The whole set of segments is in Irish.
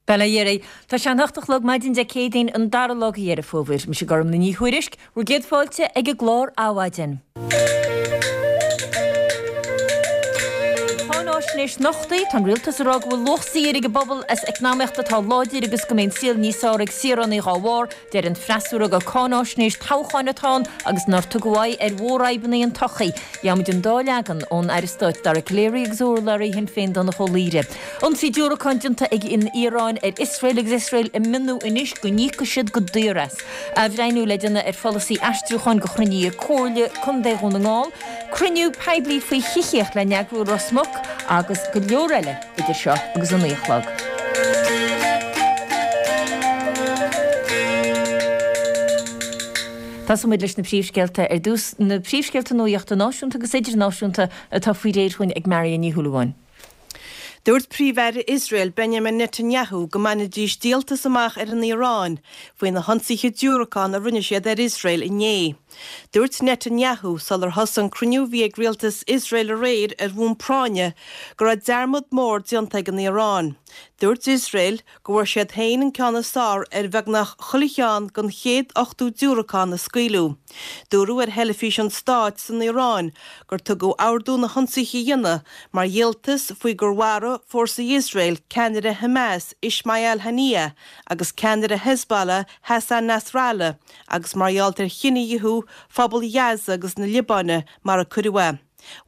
Bail ó Dhia oraibh. Tá sé an hocht a chlog maidin Dé Céadaoin an dara lá de Dheireadh Fómhair. Mise Gormlaith Ní Thuairisg, bhur gcéad fáilte ag an gclár Adhmhaidin. Cáináisnéis nochtaí, tá an rialtas ag rá go bhfuil luach saothair ag an bpobal as eacnamaíocht atá láidir agus go mbeidh an saol níos fearr ag saoránaigh dhá bharr. Deir an freasúra gur cáináisnéis toghcháin atá ann agus nár tugadh aghaidh ar mhórfhadhbanna an tsochaí. Gheobhaimid an dá leagan ón Aire Stáit Dara Calleary agus ó urlabhraí Shinn Féin Donncha Ó Laoghaire. Ionsaí diúracán déanta ag an Iaráin ar Iosrael agus Iosrael ag mionnú anois go n-íocfaidh siad go daor as. Athbhreithniú le déanamh ar pholasaí aistriúcháin do chruinnithe Comhairle Contae Dhún na nGall. Cruinniú poiblí faoi thithíocht le n-eagrú i Ros Muc agus go leor eile idir seo agus a 9 a chlog. Tosóidh muid leis na príomhscéalta ar dtús, na príomhscéalta nuaíochta náisiúnta agus idirnáisiúnta atá faoi réir chugainn ag Marion Ní Shúilleabháin. Dúirt Príomh-Aire Iosrael Benjamin Netanyahu go mbainfidís díoltas amach ar an Iaráin faoi na hionsaithe diúracán a rinne siad ar Iosrael inné. Dúirt Netanyahu sular thosaigh an cruinniú a bhí ag rialtas Iosrael aréir ar bhonn práinne go raibh dearmad mór déanta ag an Iaráin. Dúirt Iosrael go bhfuair siad féin an ceann is fearr ar bheagnach chuile cheann den chéad 80 diúracán a scaoileadh. Dúradh ar theilifís an stáit san Iaráin gur tugadh ordú na hionsaithe a dhéanamh mar dhíoltas faoi gur mharaigh fórsaí Iosrael ceannaire Hamas Ismail Haniyeh agus ceannaire Hezbollah Hassan Nasrallah agus mar gheall ar chinedhíothú phobal Ghaza agus na Liobáine mar a cuireadh é.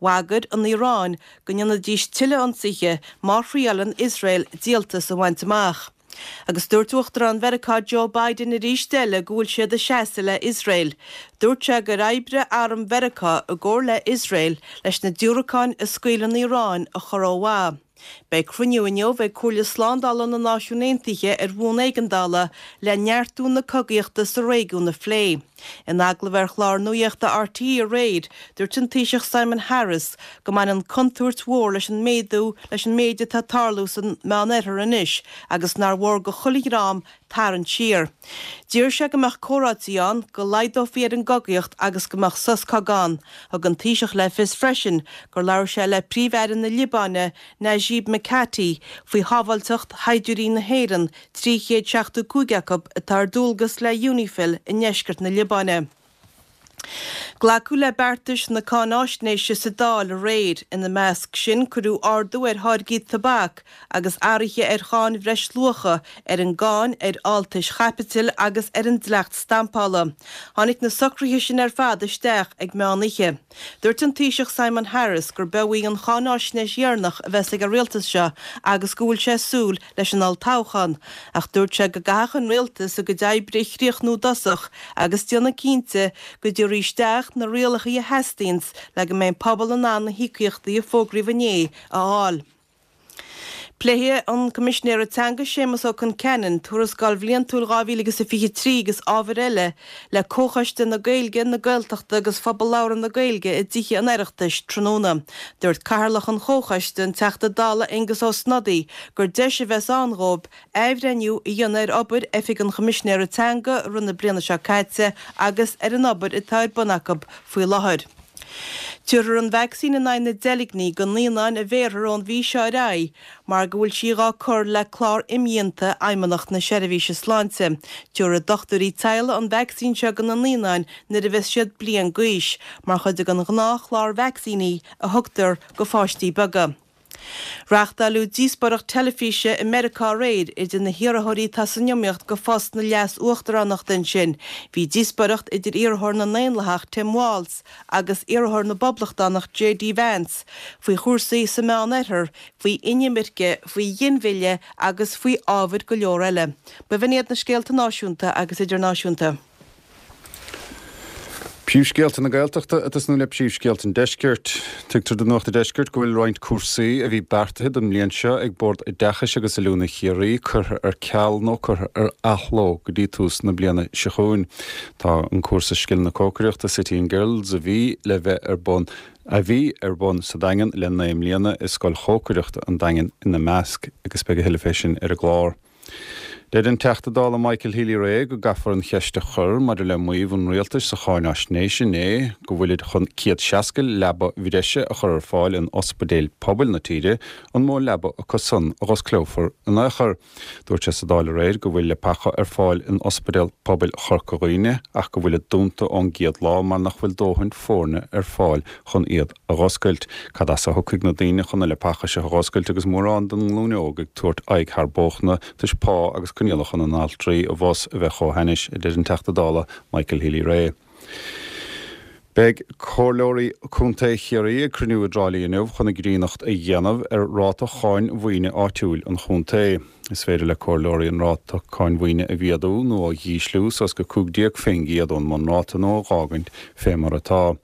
Bhagair an Iaráin go ndéanfaidís tuilleadh ionsaithe má thriaileann Iosrael díoltas a bhaint amach. Agus dúirt Uachtarán Mheiriceá Joe Biden arís eile go bhfuil siad ag seasamh le Iosrael. Dúirt sé gur oibrigh arm Mheiriceá i gcomhar le Iosrael leis na diúracáin a scaoil an Iaráin a chur ó mhaith. Beidh cruinniú inniu ag Comhairle Slándála na Náisiún Aontaithe ar bhonn éigeandála le neartú na cogaíochta sa réigiún a phlé. In agallamh ar chlár nuaíochta RTÉ aréir, dúirt an Taoiseach Simon Harris go mbaineann contúirt mhór leis an méadú leis an méid atá ag tarlú san Meánoirthear anois agus nár mhór go chuile dhream tarraingt siar. D'iarr sé go mbeadh comhráití ann, go laghdófaí ar an gcogaíocht agus go mbeadh sos cogaidh ann. Thug an Taoiseach le fios freisin gur labhair sé le Príomh-Aire na Liobáine, Najib Mikati, faoi shábháilteacht shaighdiúirí na hÉireann, 375 acu, atá ar dualgas le Unifil i ndeisceart na Liobáine. Glacadh le beartais na cáináisnéise sa Dáil aréir. Ina measc sin cuireadh ardú ar tháirgí tobac agus athruithe ar cháin bhreisluacha, ar an gcáin ar fháltais chaipitil agus ar an dleacht stampála. Tháinig na socruithe sin ar fad isteach ag meán oíche. Dúirt an Taoiseach Simon Harris gurb í an cháináisnéis dheireanach a bheas ag an rialtas seo agus go bhfuil sé ag súil leis an olltoghchán, ach dúirt sé go gcaithfeadh an rialtas a gcuid oibre a chríochnú i dtosach agus déanamh cinnte go dtabharfaí isteach na rialacha a theastaíonns le go mbeidh an pobal in ann na híocaíochtaí a fógraíodh inné a fháil. Pléifidh an Coimisinéir Teanga Séamus Ó Concheanainn Tuarascáil Bhliantúil 2023 agus ábhair eile le Comhchoiste na Gaeilge, na Gaeltachta agus Phobal Labhartha na Gaeilge i dTithe an Oireachtais tráthnóna. Dúirt Cathaoirleach an Chomhchoiste, an Teachta Dála Aengus Ó Snodaigh, gur deis a bheas ann dhóibh athbhreithniú a dhéanamh ar obair Oifig an Choimisinéara Teanga i rith na bliana seo caite agus ar an obair atá ar bun acu faoi láthair. Tabharfar an vacsaín in aghaidh na deilgní go naíonáin a bhéarfar ón mhí seo ar aghaidh mar go bhfuil sí dhá cur le clár imdhíonta Fheidhmeannacht na Seirbhíse Sláinte. Tabharfaidh dochtúirí teaghlaigh an vacsaín seo go na naíonáin nuair a bheas siad bliain d'aois, mar chuid den ghnáthchlár vacsaíní a thugtar go pháistí beaga. Reáchtáileadh díospóireacht teilifíse i Meiriceá aréir idir na hiarrthóirí atá san iomaíocht go phost na leas-uachtaránachta ansin. Bhí díospóireacht idir iarrthóir na nDaonlathach Tim Walz agus iarrthóir na bPoblachtánach JD Vance faoi chúrsaí sa Meánoirthear, faoi inimirce, faoi ghinmhilleadh agus faoi ábhair go leor eile. B'in iad na scéalta náisiúnta agus idirnáisiúnta. Príomhscéalta na Gaeltachta ag tosnú le príomhscéalta an Deiscirt. Tuigtear do Nuacht an Deiscirt go bhfuil roinnt cúrsaí a bhí beartaithe don mbliain seo ag Bord Oideachais agus Oiliúna Chiarraí curtha ar ceal nó curtha ar athló go dtí tús na bliana seo chugainn. Tá an cúrsa scileanna cócaireachta City and Guilds a bhí le bheith ar bun a bhí ar bun sa Daingean le 9 mbliana i Scoil Chócaireachta an Daingin ina measc agus beidh a thuilleadh fé sin ar an gclár. Deir an Teachta Dála Michael Healy-Rae go gcaithfear an cheist a chur maidir le maíomh an rialtais sa cháináisnéis inné go bhfuilid chun 160 leaba bhreise a chur ar fáil in ospidéil pobail na tíre, an mó leaba acu san a dh'osclófar in aon chor. Dúirt sé sa Dáil aréir go bhfuil leapacha ar fáil in Ospidéal Pobail Chorca Dhuibhne ach go bhfuilid dúnta ón gcéad lá mar nach bhfuil dóthain foirne ar fáil chun iad a dh'oscailt. Cad as a thiocfaidh na daoine chun na leapacha seo a dh'oscailt agus mórán den nglúin óg ag tabhairt aghaidh thar bóchna toisc pá agus coinníollacha na n-altraí abhus a bheith chomh hainnis, a deir an Teachta Dála Michael Healy-Rae. Beidh Comhairleoirí Contae Chiarraí ag cruinniú i dTrá Lí inniu chun a gcríonnacht a dhéanamh ar ráta cháin mhaoine áitiúil an chontae. Is féidir le Comhairleoirí an ráta cáin mhaoine a mhéadú nó a dh'ísliú suas go 15% ón mbunráta nó a dh'fhágaint fé mar atá.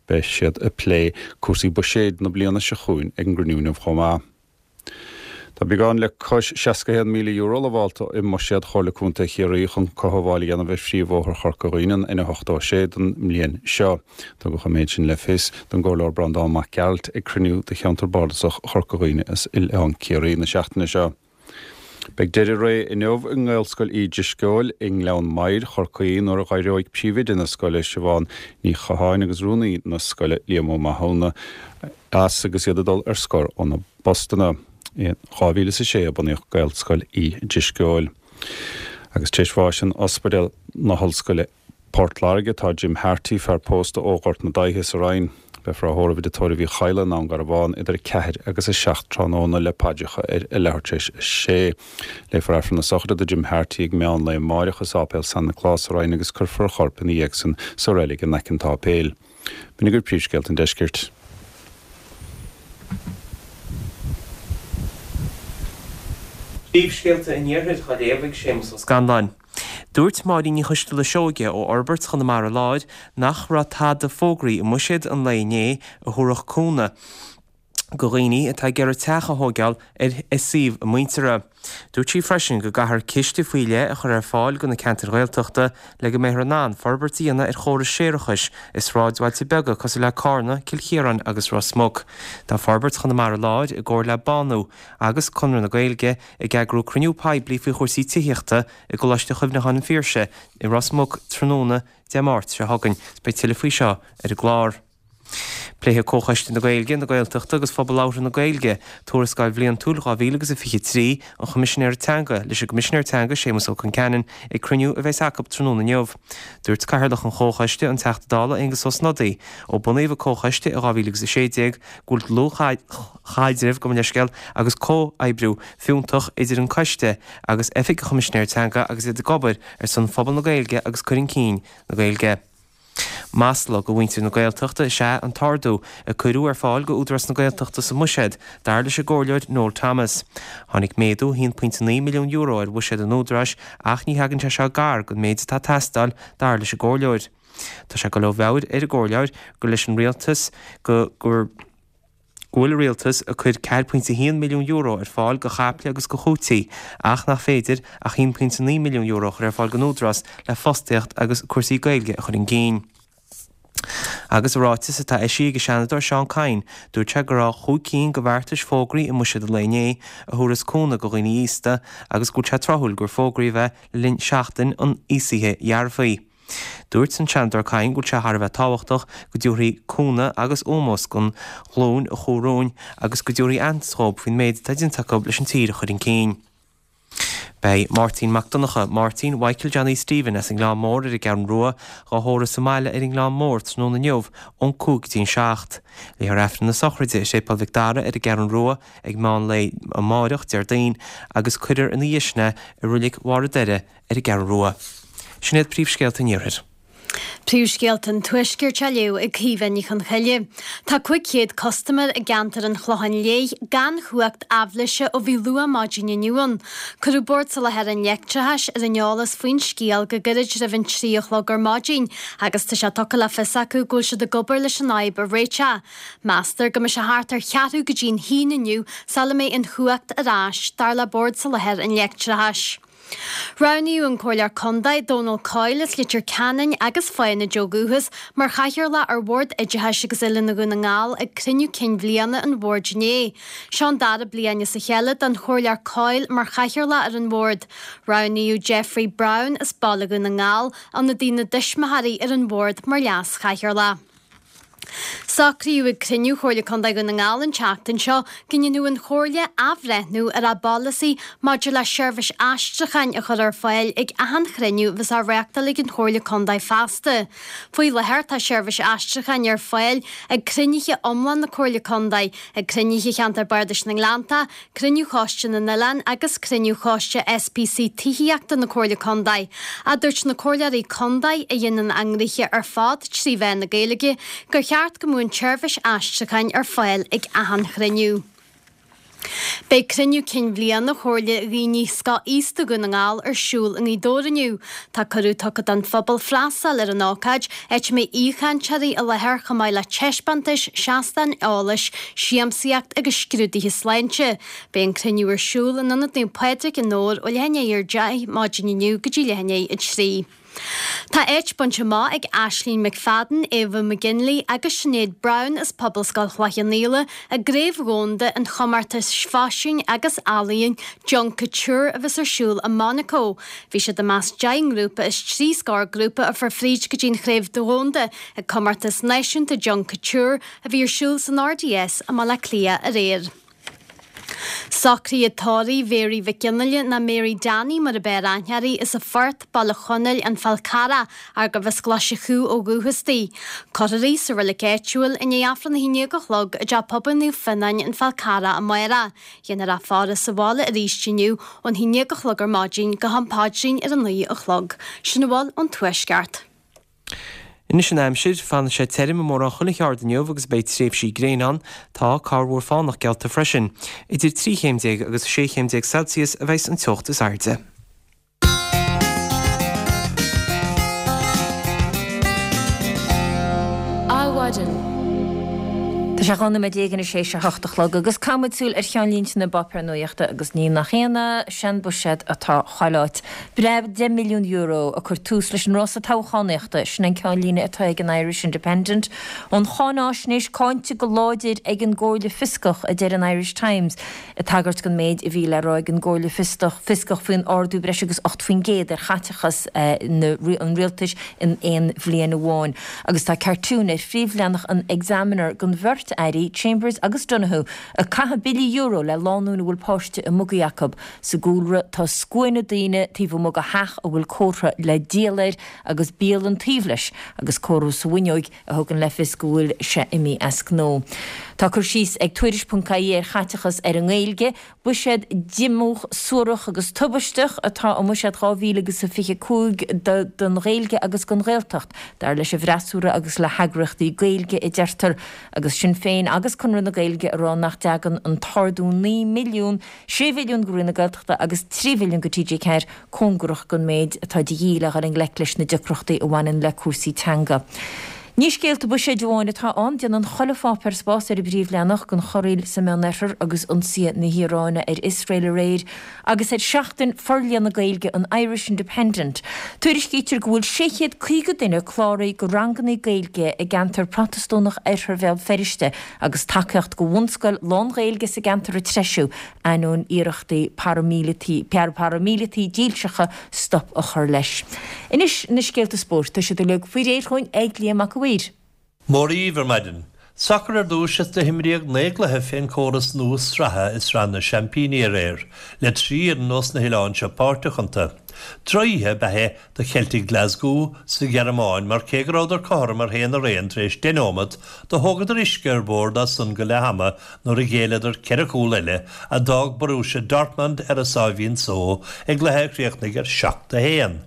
Beidh siad ag plé cúrsaí buiséid na bliana seo chugainn ag an gcruinniú inniu chomh maith. Tá beagán le cois €61,000 lamhálta i mbuiséad Chomhairle Contae Chiarraí chun cothabháil a dhéanamh ar phríomhbhóthar Chorca Dhuibhne, an N86, don mbliain seo. Tugadh an méid sin le fios don gComhairleoir Breandán Mac Gearailt ag cruinniú de Cheantar Bardasach Chorca Dhuibhne is Oileán Ciarraí na seachtaine seo. Beidh deireadh ré inniu i nGaelscoil Uí Drisceoil i nGleann Maghair, Chorcaí, nuair a dh'éireoidh príomhoide na scoile, Siobhán Ní Chatháin agus rúnaí na scoile, Liam Ó Mathúna, as agus iad ag dul ar scor óna bpostanna. In 2006 a bunaíodh Gaelscoil Uí Drisceoil. Agus tar éis bháis in Ospidéal na hOllscoile, Port Láirge, tá Jim Harty, fear pósta ó Ghort na Daighthe sa Rinn. Beifear á thórramh i dtigh tórraimh Uí Chadhla i nDún Garbhán idir 4 agus 7 tráthnóna le paidreacha ar a leathuair tar éis a sé. Léifear Aifreann na sochraide do Jim Harty ag meán lae amáireach i Sáipéal San Nioclás sa Rinn agus cuirfear a chorp ina dhiaidh san sa reilig in aice an tsáipéil. B'in agaibh príomhscéalta an deiscirt. Príomhscéalta an Iarthair á léamh ag Séamus Ó Scanláin. Dúirt Máirín Ní Choisteala Seoige ó Fhorbairt Chonamara Láir nach raibh tada fógraí i mbuiséad an lae inné a thabharfadh cúnamh go dhaoine atá ag iarraidh teach a thóigeáil ar suíomh a muintire. Dúirt sí freisin go gcaithfear ciste faoi leith a chur ar fáil go na ceantair Ghaeltachta le go mbeifear in ann forbairt a dhéanamh ar chórais séarachais i sráidbhailte beaga cosúil le Cárna, Cill Chiaráin agus Ros Muc. Tá Forbairt Chonamara Láir i gcomhar le Bánú agus Conradh na Gaeilge ag eagrú cruinniú poiblí faoi chúrsaí tithíochta i gColáiste Chuimhneacháin an Phiarsaigh i Ros Muc tráthnóna Dé Máirt seo chugainn. Beidh tuilleadh faoi seo ar an gclár. Pléifidh Comhchoiste na Gaeilge, na Gaeltachta agus Phobal Labhartha na Gaeilge Tuarascáil Bhliantúil 2023 an Choimisinéara Teanga leis an gCoimisinéir Teanga Séamus Ó Concheanainn ag cruinniú a bheas acu tráthnóna inniu. Dúirt Cathaoirleach an Chomhchoiste, an Teachta Dála Aengus Ó Snodaigh, ó bunaíodh an Comhchoiste i 2016 go bhfuil dlúthchaidreamh, gabh mo leithscéal, agus comhoibriú fiúntach idir an Coiste agus Oifig an Choimisinéir Teanga agus iad ag obair ar son phobal na Gaeilge agus cur chun cinn na Gaeilge. Masla go mhuintir na Gaeltachta is ea an t-ardú a cuireadh ar fáil go Údarás na Gaeltachta sa mbuiséad, dar leis an gComhairleoir Noel Thomas. Tháinig méadú €1.9 milliún ar bhuiséad an Údaráis ach ní thagann sé seo gar don méid atá ag teastáil, dar leis an gComhairleoir. Tá sé ag dul ó mheabhair ar an gComhairleoir gur leis an Rialtas go gur go bhfuil an Rialtas ag cur €4.1 milliún ar fáil go chaiple agus go chúití ach nach féidir ach €1.9 milliún a chur ar fáil don Údarás le fostaíocht agus cúrsaí Gaeilge a chur chun cinn. Agus i ráiteas atá eisithe ag an Seanadóir Seán Kyne, dúirt sé go raibh chúig cinn de bheartais fógraithe i mbuiséad an lae inné a thabharfas cúnamh do dhaoine aosta agus go bhfuil sé tráthúil gur fógraíodh é le linn seachtain an aosaithe dhearfaigh. Dúirt an Seanadóir Kyne go bhfuil sé thar a bheith tábhachtach go dtabharfaí cúnamh agus ómós don ghlúin a chuaigh romhainn agus go dtabharfaí aitheantas dhóibh faoin méid atá déanta acu leis an tír a chur chun cinn. Beidh Máirtín Mac Donncha, Máirtín Mhichael Johnny Stephen as an nGleann Mór ar an gCeathrú Rua, dhá thórramh sa mbaile ar an nGleann Mór tráthnóna inniu ón 5 go dtí an 7. Léifear Aifreann na sochraide i Séipéal Mhic Dara ar an gCeathrú Rua ag meán lae amáireach, Déardaoin, agus cuirfear ina dhiaidh sin é i Reilig Bharr an Doire ar an gCeathrú Rua. Sin iad príomhscéalta an Iarthair. Príomhscéalta an Tuaiscirt á léamh ag Caoimhe Ní Chonchoille. Tá 500 custaiméir i gceantar an Chlocháin Léith gan chumhacht aibhléise ó bhí luath maidin inniu ann. Cuireadh Bord Soláthair an Leictreachais ar an eolas faoin scéal go gairid roimh an 3 a chlog ar maidin agus tá sé tugtha le fios acu go bhfuil siad ag obair leis an fhadhb a réiteach. Meastar go mbeidh sé thart ar cheathrú go dtí'n haon inniu sula mbeidh an chumhacht ar ais, dar le Bord Soláthair an Leictreachais. Roghnaíodh an Comhairleoir Contae, Dónal Coyle as Leitir Ceanainn agus Fánaid ó dhúchas, mar Chathaoirleach ar Bhord Oideachais agus Oiliúna Dhún na nGall ag cruinniú cinn bhliana an bhoird inné. Seo an dara bliain as a chéile don Chomhairleoir Coyle mar Chathaoirleach ar an bhord. Roghnaíodh Jeffrey Browne as Baile Dhún na nGall, ionadaí na dtuismitheoirí ar an bhord mar Leas-Chathaoirleach. Socraíodh ag cruinniú Chomhairle Contae Dhún na nGall an tseachtain seo go ndéanfadh an Chomhairle athbhreithniú ar a bpolasaí maidir le seirbhís aistriúcháin a chur ar fáil ag achan chruinniú a bheas á reáchtáil ag an Chomhairle Contae feasta. Faoi láthair tá seirbhís aistriúcháin ar fáil ag cruinnithe iomlán na Comhairle Contae, ag cruinnithe Cheantar Bardais na nGleanntach, Cruinniú Choiste na nOileán agus Cruinniú Choiste SPC Tithíochta na Comhairle Contae. Ach dúirt na Comhairleoirí Contae, a dhéanann a ngnoithe ar fad trí mheán na Gaeilge, gur cheart go mbeadh an tseirbhís aistriúcháin ar fáil ag achan chruinniú. Beidh cruinniú cinn bhliana Chomhairle Dhaoine Scothaosta Dhún na nGall ar siúl i nGaoth Dobhair inniu. Tá cuireadh tugtha don phobal freastal ar an ócáid, áit a mbeidh aoichainteoirí i láthair chomh maith le taispeántais, seastáin eolais, siamsaíocht agus scrúduithe sláinte. Beidh an cruinniú ar siúl in Ionad Naomh Pádraig i nDobhar ó leath i ndiaidh a 10 maidin inniu go dtí leath i ndiaidh a 3. Tá áit bainte amach ag Aisling McFadden, Ava McGinley agus Sinéad Browne as Pobalscoil Chloich Cheann Fhaola i gCraobh Dhomhanda an Chomórtais Faisin agus Ealaíon Junk Kouture a bheas ar siúl i Monaco. Bhí siad i measc 10 ngrúpa as trí scór grúpa a fuair fríd go dtí an Chraobh Dhomhanda ag Comórtas Náisiúnta Junk Kouture a bhí ar siúl san RDS i mBaile Átha Cliath aréir. Socraithe tórraimh Mhéaraí Mhic Fhionnghaile nó Mary Danny mar ab fhearr aithne uirthi as an Phort, Baile Chonaill, An Fál Carrach, ach gurbh as Glaise Chú ó dhúchas di. Cuirfear í sa reilig áitiúil i ndiaidh Aifreann a 11 a chlog i dTeach Pobail Naomh Fionnáin, An Fál Carrach amárach. Dhéanfar a faire sa bhaile arís inniu ón 11 a chlog ar maidin go ham paidrín ar a 9 a chlog. Sin a bhfuil ón Tuaisceart. Anois an aimsir, fanfaidh sé tirim i mórán chuile cheard inniu agus beidh tréimhsí gréine ann. Tá corrmhúr fánach geallta freisin. Idir 13 chéim agus 16 chéim Celsius a bheas an teocht is airde. Adhmhaidin. Tá sé 12 nóiméad anois théis a hocht a chlog agus caithfidh muid súil ar cheannlínte na bpáipéar nuachta agus ní nach ionadh, sé'n buiséad atá chuile áit. Breab €10 milliún ag cur tús leis an rása toghchánaíochta, sin an ceannlíne atá ag an Irish Independent. An cháináisnéis cáinte go láidir ag an gComhairle Fioscach, a deir an Irish Times, ag tagairt don méid a bhí le rá ag an gComhairle Fioscach faoin ardú breis agus 8% ar chaiteachas an rialtais in aon bhliain amháin. Agus tá cartún ar phríomhleathanach an Examiner den bheirt airí, Chambers agus Donohoe, ag caitheamh billí euro le lánúin a bhfuil páiste i mbugaí acu. Sa gcúlra tá scuaine daoine taobh amuigh de theach a bhfuil comhartha le díol air agus bialann taobh leis agus comhartha sa bhfuinneoig a thugann le fios go bhfuil sé imithe as gnó. Tá cur síos ag Tuairisc.ie ar chaiteachas ar an nGaeilge. Buiséad diomúch, suarach agus tubaisteach atá i mBuiséad 2025 don Ghaeilge agus don Ghaeltacht, dar leis an bhfreasúra agus le heagraíochtaí Gaeilge, a deirtear, agus Sinn Féin agus Conradh na Gaeilge ag rá nach dtagann an t-ardú 9 milliún 6 mhilliún go Roinn na Gaeltachta agus 3 mhilliún go TG4 cóngarach don méid atá de dhíth le dhul i ngleic leis na deacrachtaí a bhaineann le cúrsaí teanga. Ní scéalta buiséid amháin atá ann, déanann chuile pháipéar spás ar an bpríomhleathanach don chorraíl sa Meánoirthear agus ionsaithe na hIaráine ar Iosrael aréir agus ar Sheachtain Forlíonadh Gaeilge an Irish Independent. Tuairiscítear go bhfuil 650 duine cláraithe do ranganna Gaeilge i gceantar Protastúnach Oirthear Bhéal Feirste agus tacaíocht do bhunscoil lán-Ghaeilge sa gceantar ag treisiú, ainneoin iarrachtaí paraimíleataí dílseacha stop a chur leis. Anois na scéalta spóirt, tá siad uilig faoi réir chugainn ag Liam Mac a' Mhaoir. Móra dhíbh ar maidin. Sacar ar dtúis is do himríodh 9 gcluiche fén córas nua sraithe i Sraith na Seaimpíní aréir, le 3 fhoireann ós na hoileáin seo páirteach iontu. Drochoíche ab ea é do Cheiltigh Glasgow sa Ghearmáin mar cé go rabhadar cothrom ar 1-1 tar éis 10 neomat, do thógadar uisce ar bord as san go leath ama nuair a ghéilleadar ceithre chúl eile a d'fhág Borussia Dortmund ar a sáimhín só i gcluiche a chríochnaigh ar 7-1.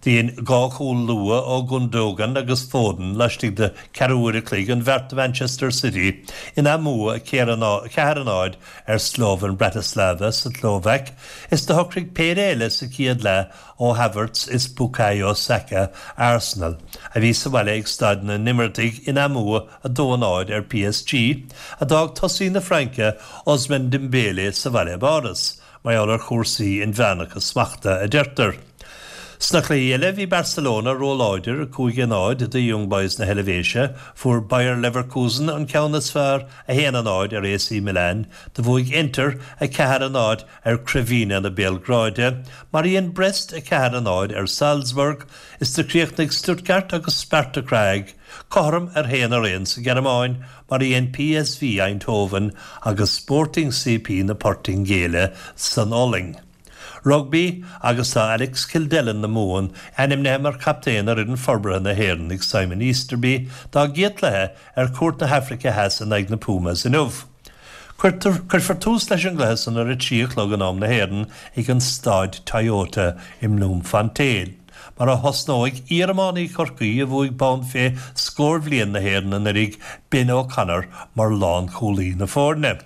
Do dhein dhá chúl luath ó Gundogan agus Foden laistigh de ceathrú uair a chloig an bheart do Manchester City ina mbua 4-0 ar Slovan Bratislava sa tSlóvaic is do shocraigh péire eile sa chéad leath ó Havertz is Bukayo Saka Arsenal, a bhí sa bhaile ag Staid na nImirtigh ina mbua 2-0 ar PSG, a d'fhág tosaí na Fraince Ousmane Dembele sa bhaile i bPáras. mar gheall ar chúrsaí inmheánacha smachta, a deirtear. Sna cluichí eile, bhí Barcelona róláidir, 5-0, do Young Boys na hEilvéise, fuair Bayer Leverkusen an ceann is fearr, 1-0, ar AC Milan, do bhuaigh Inter, 4-0, ar Crvena na Béalgráide, mar a dhein Brest, 4-0, ar Salzburg, is do chríochnaigh Stuttgart agus Sparta Prague cothrom ar 1-1 sa Ghearmáin, mar a dhein PSV Eindhoven agus Sporting CP na Portaingéile san Ollainn. Rugbaí agus tá Alex Kildellan na Mumhan ainmnithe mar chaptaen ar fhoireann forbartha na hÉireann ag Simon Easterby dá gcéad chluiche ar cuairt na hAfraice Theas in aghaidh na Pumas inniu. Cuirfear tús leis an gcluiche san ar a 3 a chlog in am na hÉireann ag an Staid Toyota i mBloemfontein, mar a thosnóidh iar-iománaí Chorcaí a bhuaigh bonn fé scór bhliain na hÉireann anuraidh, Ben O'Connor mar lánchúlaí na foirne.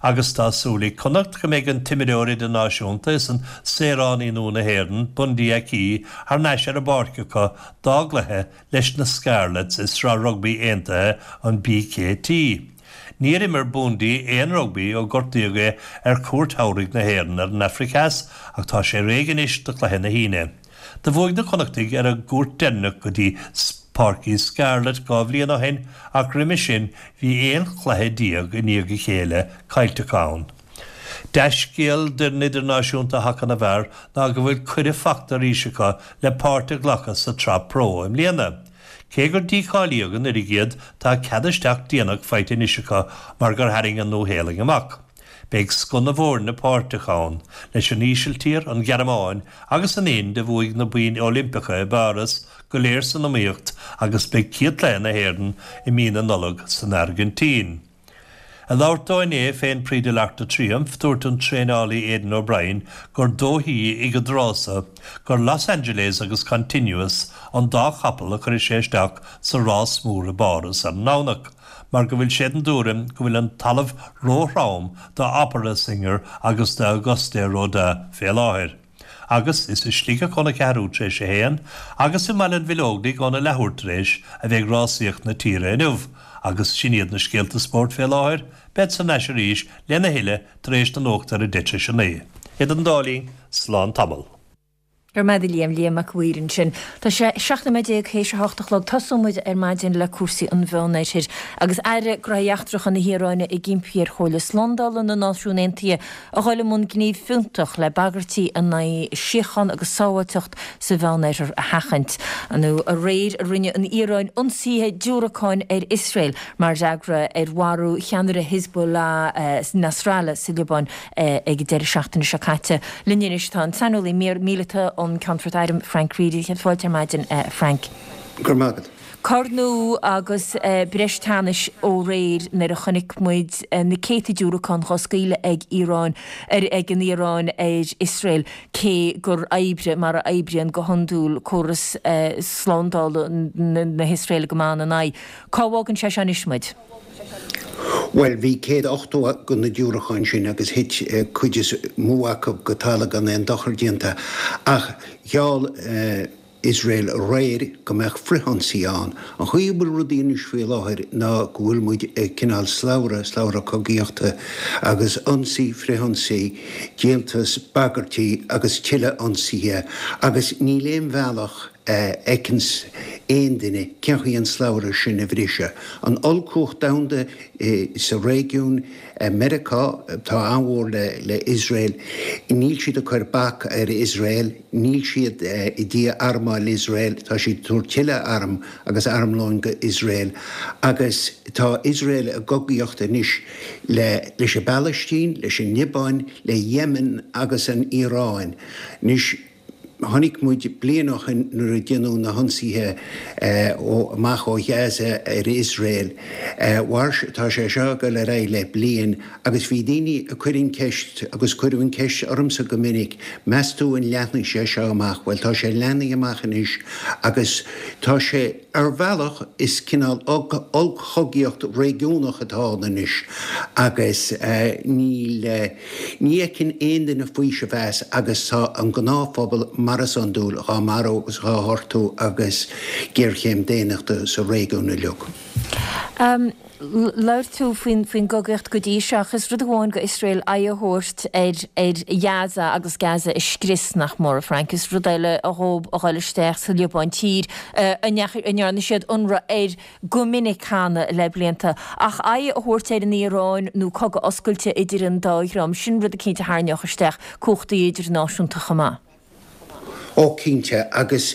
Agus tá súil ag Connacht go mbeidh an t-imreoir idirnáisiúnta is an saoránaí nua na hÉireann, Bundee Aki, thar n-ais ar an bpáirc acu dá gcluiche leis na Scarlets i Sraith Rugbaí Aontaithe an BKT. Níor imir Bundee aon rugbaí ó gortaíodh é ar chuairt shamhraidh na hÉireann ar an Afraic Theas ach tá sé réidh anois do chluiche na hAoine. Do bhuaigh na Connachtaigh ar a gcuairt deireanach go dtí Páirc Scarlett 2 bhliain ó shin ach roimhe sin bhí 11 chluiche i ndiaidh a chéile caillte acu ann. Dea-scéal d'fhoireann idirnáisiúnta haca na bhfear ná go bhfuil cuireadh fachta arís acu le páirt a ghlacadh sa tSraith Pro i mbliana. Cé gur dícháilíodh anuraidh iad tá cead isteach déanach faighte anois acu mar gur tharraing an Nua-Shéalainn amach. Beidh scoth na bhfoirne páirteach ann, leis an Ísiltír, an Ghearmáin agus an Ind a bhuaigh na boinn Oilimpeacha i bPáras go léir san iomaíocht agus beidh céad cluiche na hÉireann i mí na Nollag san Airgintín. Ag labhairt dó inné fén Prix de l'Arc de Triomphe, dúirt an traenálaí Aidan O'Brien gur dóichí ag an dtráth so gur Los Angeles agus Continuous an dá chapall a chuirfidh sé isteach sa rás mór i bPáras ar an nDomhnach. mar go bhfuil sé den dtuairim go bhfuil an talamh ró-throm do Opera Singer agus do Auguste Rodin fé láthair. Agus is i Sligeach óna ceathrú tar éis a haon agus i mBaile an Bhileoigdigh óna leathuair tar éis a bheidh rásaíocht na tíre inniu. Agus sin iad na scéalta spóirt fé láthair, bead thar n-ais arís lena thuilleadh tar éis na nuachta ar a deich tar éis a naoi. Idir an dá linn, slán tamall. Go raibh maith agat a Liam, Liam Mac a' Mhaoir ansin. Tá sé 17 nóiméad théis a hocht a chlog. Tosóidh muid ar maidin le cúrsaí an Mheánoirthir. Agus Aire Gnóthaí Eachtracha na hIaráine ag impí ar Chomhairle Slándála na Náisiún Aontaithe a dhul i mbun gníomh fiúntach le bagairtí in aghaidh síocháin agus sábháilteacht sa Mheánoirthear a sheachaint. Nó aréir a rinne an Iaráin ionsaithe diúracáin ar Iosrael mar fhreagra ar mharú cheannaire Hezbollah Nasrallah sa Liobáin ag an deireadh seachtaine seo caite. Linn anois tá an saineolaí míleata um Cheannfort Airm, Frank Reidy. Fáilte ar maidin, a Frank. Go raibh maith agat. Cor nua agus breis teannais ó aréir nuair a chonaic muid na céadta diúracán dhá scaoileadh ag Iaráin ar ag an Iaráin ar Iosrael cé gur oibrigh mar a oibríonn go hiondúil córas slándála na hIosraeile go maith ina n-aghaidh. Cá bhfágann sé seo anois muid? Bhuel, bhí 180 de na diúracáin sin agus thit cuid is mó acu go talamh gan aon dochar déanta. Ach gheall Iosrael aréir go mbeadh frithionsaí ann. An chaoi a bhfuil rudaí anois faoi láthair ná go bhfuil muid ag cineál slabhra, slabhra cogaíochta agus ionsaí, frithionsaí, díoltas, bagairtí agus tuilleadh ionsaithe agus níl aon bhealach a fheiceanns aon duine cén chaoi an slabhra sin a bhriseadh. An ollchumhacht domhanda sa réigiún, Meiriceá, atá an-mhór le Iosrael, níl siad ag cur bac ar Iosrael, níl siad i ndiaidh armáil Iosrael, tá siad ag tabhairt tuilleadh arm agus armlóin go Iosrael agus tá Iosrael i gcogaíocht anois le leis an bPalaistín, leis an Liobáin, le Yemen agus an Iaráin. Anois. Chonaic muid bliain ó shin nuair a déanadh na hionsaithe amach ó Ghaza ar Iosrael. Mhair, tá sé seo ag dul ar aghaidh le bliain agus bhí daoine ag cur an ceist agus cuireadh an ceist ormsa go minic, meas tú an leathnfaidh sé seo amach? Bhuel tá sé leathnaithe amach anois agus tá sé, ar bhealach is cineál ollchogaíocht réigiúnach atá ann anois agus níl, Ní fheiceann aon duine faoiseamh as agus tá an gnáthphobal, mar is iondúil, dhá marú agus dhá ghortú agus géarchéim daonnachta sa réigiún uilig. Labhair tú faoin gcogaíocht go dtí seo ach is rud amháin go Iosrael aghaidh a thabhairt ar ar Ghaza agus Gaza a scrios, nach mór, a Frank. Is rud eile dhóib a dhul isteach sa Liobáin, tír a ndearna siad ionradh air go minic cheana le blianta. Ach aghaidh a thabhairt ar an Iaráin nó cogadh oscailte idir an dá dhream, sin rud eicínt a tharraingeodh isteach cumhachtaí idirnáisiúnta chomh maith. Ó cinnte, agus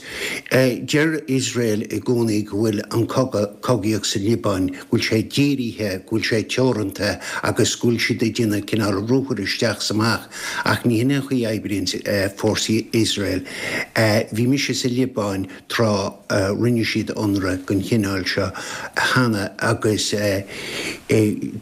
deir Iosrael i gcónaí go bhfuil an cogadh, cogaíocht sa Liobáin, go bhfuil sé dírithe, go bhfuil sé teoranta agus go bhfuil siad ag déanamh cineál ruathair isteach is amach. Ach ní hin an chaoi a oibríonn fórsaí Iosrael. Bhí mise sa Liobáin tráth a rinne siad ionradh den chineál seo cheana agus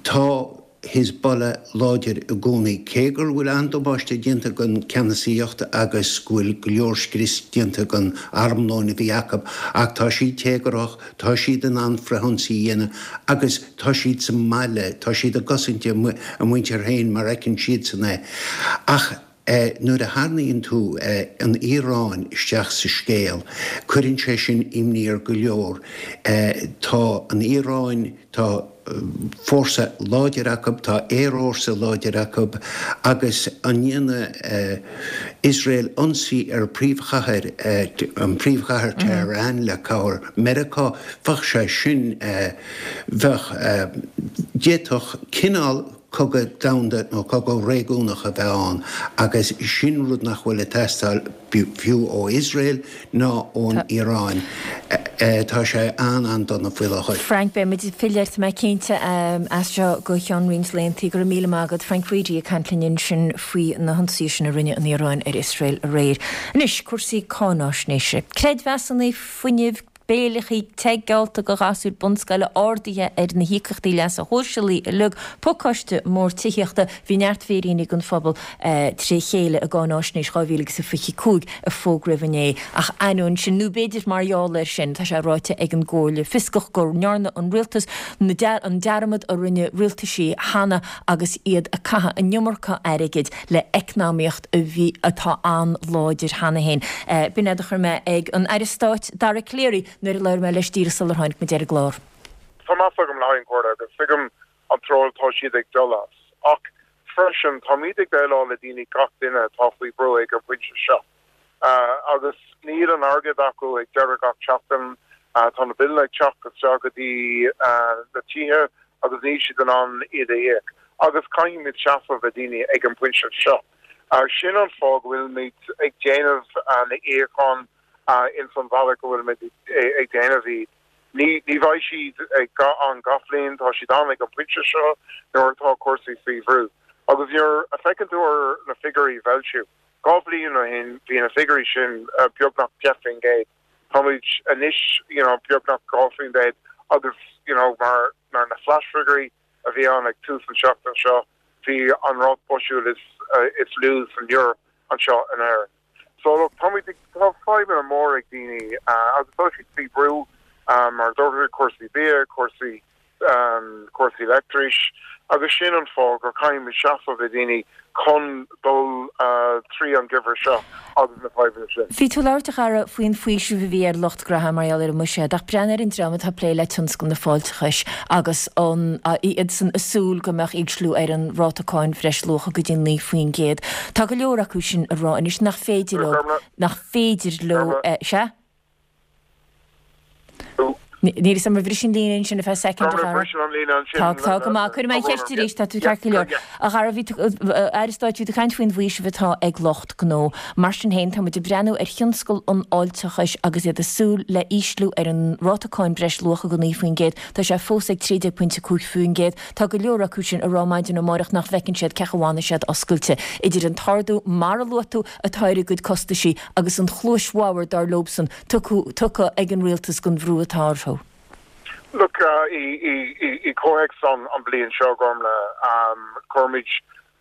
tá, Hezbollah láidir i gcónaí. Cé gur bhfuil an-damáiste déanta don ceannasaíocht agus go bhfuil go leor scrios déanta don armlóin a bhí acu, ach tá siad téagarthach, tá siad in ann frithionsaí a dhéanamh agus tá siad sa mbaile, tá siad ag cosaint a muintir féin mar a fheiceann siadsan é. Ach nuair a tharraingíonn tú an Iaráin isteach sa scéal, cuireann sé sin imní ar go leor. Tá an Iaráin, tá fórsa láidir acu, tá aerfhórsa láidir acu agus an ndéanfaidh Iosrael ionsaí ar príomhchathair, an príomhchathair Tehran le cabhair Meiriceá, bheadh sé sin, bheadh, d'fhéadfadh cineál cogadh domhanda nó cogadh réigiúnach a bheith ann agus sin rud nach bhfuil ag teastáil fiú ó Iosrael ná ón Iaráin. Tá sé an-an-dona faoi láthair. Frank, beidh muid ag filleadh ort, tá mé cinnte, as seo go ceann roinnt laethanta. Go raibh míle maith agat. Frank Reidy ag caint linn ansin faoi na hionsaithe sin a rinne an Iaráin ar Iosrael aréir. Anois, cúrsaí cáináisnéise. Creidmheasanna fuinnimh, béileachaí te geallta go ghasúir bunscoile, arduithe ar na híocaíochtaí leasa shóisialaigh uilig, pacáiste mór tithíochta, bhí neart féiríní don phobal tré chéile i gCáináisnéis 2025 a fógraíodh inné. Ach ainneoin sin, nó b'fhéidir mar gheall air sin, tá sé ráite ag an gComhairle Fioscach go ndearna an rialtas an dearmad a rinne rialtaisí cheana agus iad ag caitheamh an iomarca airgid le eacnamaíocht a bhí, atá an-láidir cheana féin. B'in é a chuir mé ag an Aire Stáit Dara Calleary nuair a labhair mé leis díreach sular tháinig muid ar an gclár. Tá meas agam le haghaidh an Chomhairle agus tuigim an treo atá siad ag dul as. Ach freisin táimid ag déileáil le daoine, gach duine atá faoi bhrú ag an bpointe seo. Agus níl an airgead acu ag deireadh gach seachtain. Tá na billeanna ag teacht isteach go dtí na tithe agus níl siad in ann iad a íoc. Agus caithfimid seasamh le daoine ag an bpointe seo. Sin an fáth go bhfuilimid ag déanamh na íocáin ins an bhealach go bhfuilimid ag déanamh iad. Ní bheidh siad ann gach bhliain, tá siad ann ag an bpointe seo nuair atá cúrsaí faoi bhrú. Agus nuair a feiceann tú ar na figiúirí a foilsíodh, 2 bhliain ó shin bhí na figiúirí sin beagnach 10%. Táimid anois you know beagnach 2% agus you know mar mar na flash figiúirí a bhí ann ag tús an seachtain seo bhí an ráta boisiúil is is lú san Eoraip anseo in Éirinn. So look táimid ag tá fadhbanna mór ag daoine agus tá siad faoi bhrú mar a dúirt cúrsaí bia, cúrsaí cúrsaí leictris agus sin an fáth gur caithfimid seasamh le daoine chun dul trí an geimhreadh seo agus na fadhbanna sin. Bhí tú ag labhairt, a Dhara, faoin bhfaoiseamh a bhí ar lucht gnaithe mar gheall ar an mbuiséad, ach breathnaigh ar an dream atá ag plé le tionscal na fáilteachais agus an iadsan ag súil go mbeadh ísliú ar an ráta cáin bhreisluacha go dtí 9%. Tá go leor acu sin ag rá anois nach féidir leo, nach féidir leo, sea? Níl fhios agam ar bhris an líne ansin ar feadh soicind, a Dhara. Tá, tá go maith. Cuirfidh mé an cheist arís, tá tú ceart go leor. A Dhara, bhí tú, Aire Stáit, bhí tú ag caint faoin bhfaoiseamh atá ag lucht gnó. Mar sin féin, tá muid ag breathnú ar thionscal an fháilteachais agus iad ag súil le ísliú ar an ráta cáin breisluacha go 9%. Tá sé fós ag 13.5%. Tá go leor acu sin ag rá maidin amárach nach bhfeiceann siad cén chaoi a bhfanfaidh siad oscailte. Idir an t-ardú, mar a luaigh tú, atá ar a gcuid costaisí agus an chluais bhodhar, dar leobsan, tugtha ag an rialtas don bhrú atá orthu. Look, i gcomhthéacs an bliain seo, Gormlaith, chuir muid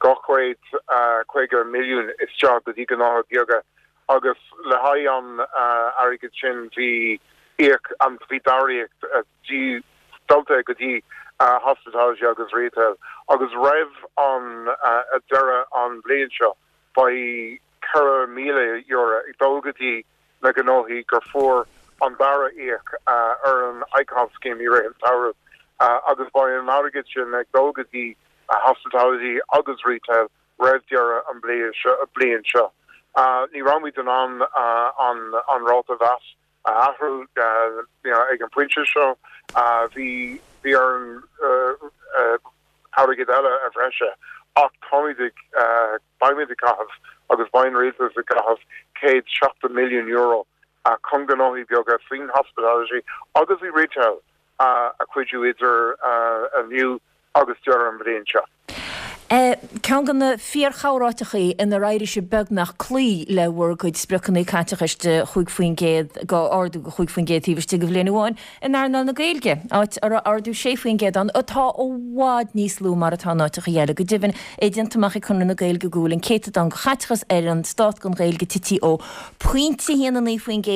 250 milliún isteach go dtí gnóthaí beaga agus le haghaidh an airgid sin bhí íoc, bhí dara íoc dulta go dtí hospitality agus retail agus roimh an deireadh an bhliain seo beidh €4,000 ag dul go dtí na gnóthaí gur fuair an dara íoc ar an ICON scheme i rith an tsamhraidh. Agus beidh an airgead sin ag dul go dtí hospitality agus retail roimh deireadh an bliain seo. Ní raibh muid in ann an ráta VAT a athrú ag an bpointe seo. Bhí bhí orainn airgead eile a bhreise ach táimid ag beimid ag caitheamh agus beidh an rialtas ag caitheamh €170 milliún chun gnóthaí beaga faoin hospitality agus i retail a chuidiú idir inniu agus deireadh an bhliain seo. Ceann de na fíor-chomhráiteachaí inar éirigh sibh beagnach cloí le bhur gcuid spriocanna caiteachais de 5% go ardú de 5% taobh istigh de bhliain amháin in earnáil na Gaeilge, áit a raibh ardú 6% ann, atá i bhfad níos lú mar atá in áiteacha eile. Go deimhin, é déanta amach ag Conradh na Gaeilge go bhfuil an céatadán de chaiteachas ar an stát don Ghaeilge tití ó phointe 1 9%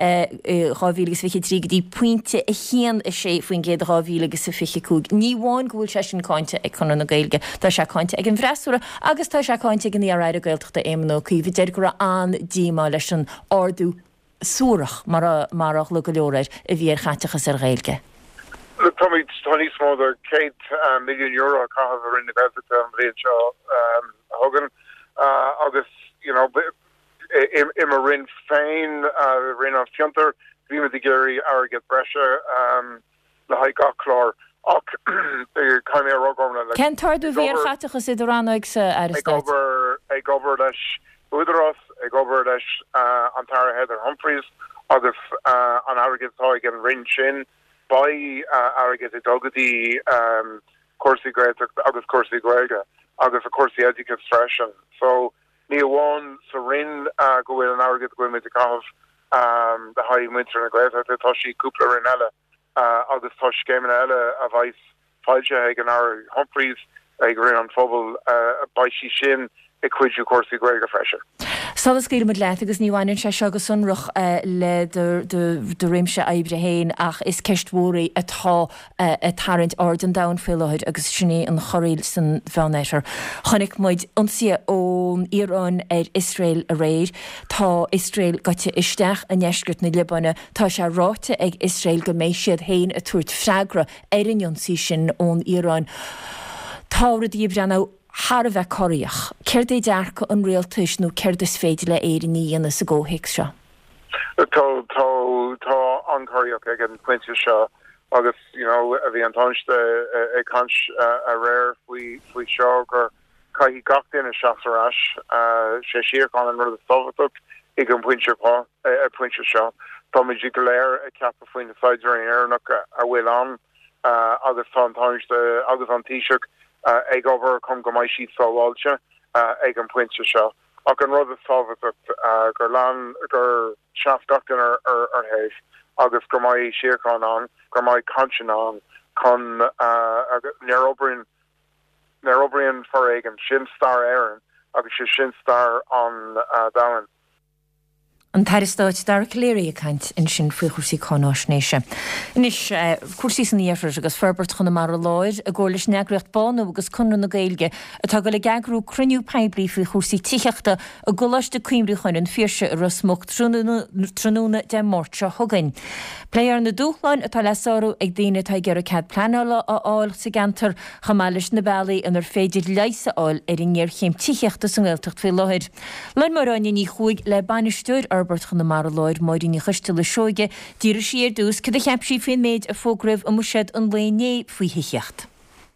i 2023 go dtí pointe 1, 6% i 2025. Ní amháin go bhfuil sé sin cáinte ag Conradh na Gaeilge, tá sé cáinte ag an bhfreasúra agus tá sé cáinte ag an iar-aire Gaeltachta Éamon Ó Cuív a deir go raibh an-díomá leis an ardú suarach, mar a ghlaoigh go leor air, a bhí ar chaiteachas ar Ghaeilge. Look, táimid, tá níos mó de €100 milliún á chaitheamh i Roinn na Gaeltachta an bhliain seo chugainn agus, you know, I mo Roinn féin, Roinn an Fiontair, bhímid ag iarraidh airgead breise le haghaidh gach clár ach caithfidh mé a rá, Gormlaith, Cén t-ardú a bhí ar chaiteachas i do rannógsa, a Aire Stáit? Ag obair leis Údarás, ag obair leis an tAire Heather Humphreys agus an airgead atá ag an Roinn sin, beidh airgead ag dul go dtí cúrsaí Gaeltachta agus cúrsaí Gaeilge agus cúrsaí oideachais freisin. So, Ní amháin sa Roinn go bhfuil an airgead go bhfuil muid ag caitheamh le haghaidh muintir na Gaeltachta, tá sí i cúpla Roinn eile agus tá scéimeanna eile a bheas foilsithe ag an Aire Humphreys ag Roinn an Phobail, beidh sí sin ag cuidiú cúrsaí Gaeilge freisin. Sula scaoilfimid leat, agus ní bhaineann sé seo go sonrach le do réimse oibre féin ach is ceist mhór í atá ag tarraingt aird an domhain faoi láthair agus sin í an chorraíl san Mheánoirthear. Chonaic muid ionsaithe ón Iaráin ar Iosrael aréir. Tá Iosrael gaibhte isteach i ndeisceart na Liobáine. Tá sé ráite ag Iosrael go mbeidh siad féin ag tabhairt freagra ar an ionsaí sin ón Iaráin. Tá rudaí ag breathnú thar a bheith corraíoch. Céard é dearcadh an rialtais nó céard is féidir le Éirinn a dhéanamh sa gcomhthéacs seo? Tá, tá, tá an-chorraíoch ag an phointe seo agus, you know, bhí an Tánaiste ag caint aréir faoi, faoi seo gur caithfidh gach duine seasamh ar ais, sé síocháin an rud is tábhachtach ag an bpointe, pointe seo. Táimid go léir ag ceapadh faoi na saighdiúirí Éireannacha a bhfuil ann agus tá an Tánaiste agus an Taoiseach ag obair chun go mbeidh siad sábháilte ag an bpointe seo. Ach an rud is tábhachtach gur lean, gur sheas gach duine ar thaobh agus go mbeidh síocháin ann, go mbeidh cainteanna ann chun, nuair a oibríonn, nuair a oibríonn foréigean, sin stair Éireann agus sé sin stair an domhain. An tAire Stáit Dara Calleary ag caint ansin faoi chúrsaí cáináisnéise. Anois, cúrsaí san iarthar agus Forbairt Chonamara Láir i gcomhar leis an eagraíocht Bánú agus Conradh na Gaeilge atá ag dul ag eagrú cruinniú poiblí faoi chúrsaí tithíochta i gColáiste Cuimriúcháin an Phiarsaigh i Ros Muc tráthnóna Dé Máirt seo chugainn. Pléifear na dúshláin atá le sárú ag daoine atá ag iarraidh cead pleanála a fháil sa gceantar, chomh maith leis na bealaí inar féidir leigheas a fháil ar an ngéarchéim tithíochta sa nGaeltacht faoi láthair. Labhair Máire Áine Ní Chuaig le Bainisteoir Fhorbairt Chonamara Láir, Máirín Ní Choisteala Seoige. D'fhiafraigh sí ar dtús cad a cheap sí faoin méid a fógraíodh i mBuiséad an lae inné faoi thithíocht.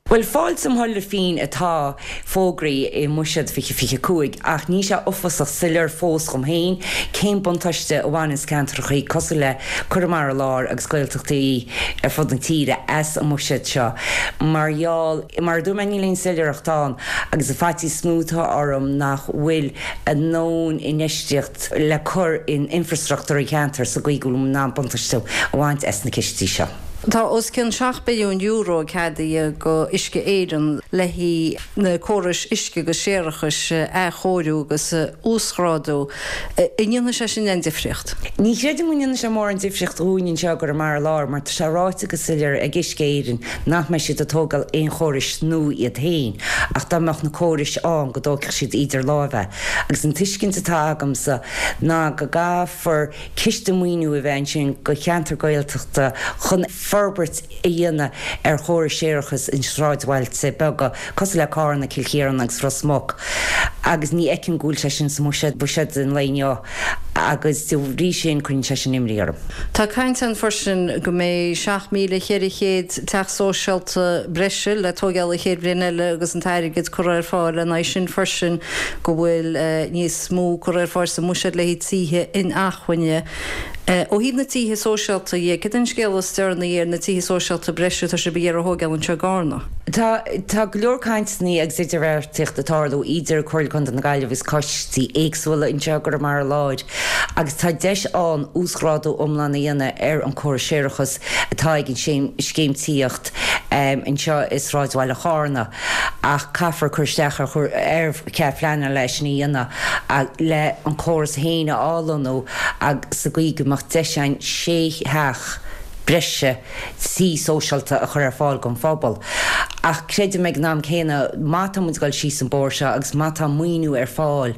Bhuel, fáilte im thoil féin atá fógraithe i mBuiséad 2025 ach níl sé uafásach soiléir fós dhom féin cén buntáiste a bhaineanns ceantrachaí cosúil le Conamara Láir agus Gaeltachtaí ar fud na tíre as an mBuiséad seo mar gheall Mar a dúirt mé níl aon soiléireacht ann agus an faitíos is mó atá orm nach bhfuil a ndóthain infheistíocht le cur in infreastruchtúr an cheantair sa gcaoi go bhfuil muid in ann buntáiste a bhaint as na cistí seo. Tá os cionn €7 billiún ceadaithe go Uisce Éireann le haghaidh na córais uisce agus séarachais a athchóiriú agus a uasghrádú. An ndéanfaidh sé sin aon difríocht? Ní chreidim go ndéanfaidh sé mórán difríocht dhúinn anseo i gConamara Láir mar tá sé ráite go soiléir ag Uisce Éireann nach mbeidh siad ag tógáil aon chórais nua iad féin ach dá mbeadh na córais ann go dtógfadh siad idir láimhe agus an tuiscint atá agamsa ná go gcaithfear ciste maoiniú a bheith ansin go cheantar Gaeltachta chun. forbairt a dhéanamh ar chórais séarachais i sráidbhailte beaga cosúil le Cárna, Cill Chiaráin agus Ros Muc agus ní fheicim go bhfuil sé sin sa mbuiséad an lae inniu agus de bhrí sin cuireann sé sin imní orm. Tá caint ann freisin go mbeidh 7,400 teach sóisialta breise le tóigeáil an chéad bhliain eile agus an t-airgead curtha ar fáil lena aghaidh sin freisin, go bhfuil níos mó curtha ar fáil sa mbuiséad le haghaidh tithe inacmhainne. Ó thaobh na tithe sóisialta dhe, cad é an scéal is deireanaí ar na tithe sóisialta breise atá sibh ag iarraidh a thóigeáil anseo i gCarna? Tá tá go leor cainteanna agus idirbheartaíocht ag tarlú idir Comhairle Contae na Gaillimhe agus coistí éagsúla anseo i gConamara Láir agus tá deis ann uasghrádú iomlán a dhéanamh ar an córas séarachais atá ag an scéim tithíocht anseo i sráidbhaile Chárna ach caithfear cur isteach ar chead pleanála leis sin a dhéanamh le an córas féin a athlonnú sa gcaoi go mbeadh deis ann sé theach breise tí sóisialta a chur ar fáil don phobal. Ach creidim ag an am céanna má tá muid ag dul síos an bóthar seo agus má tá maoiniú ar fáil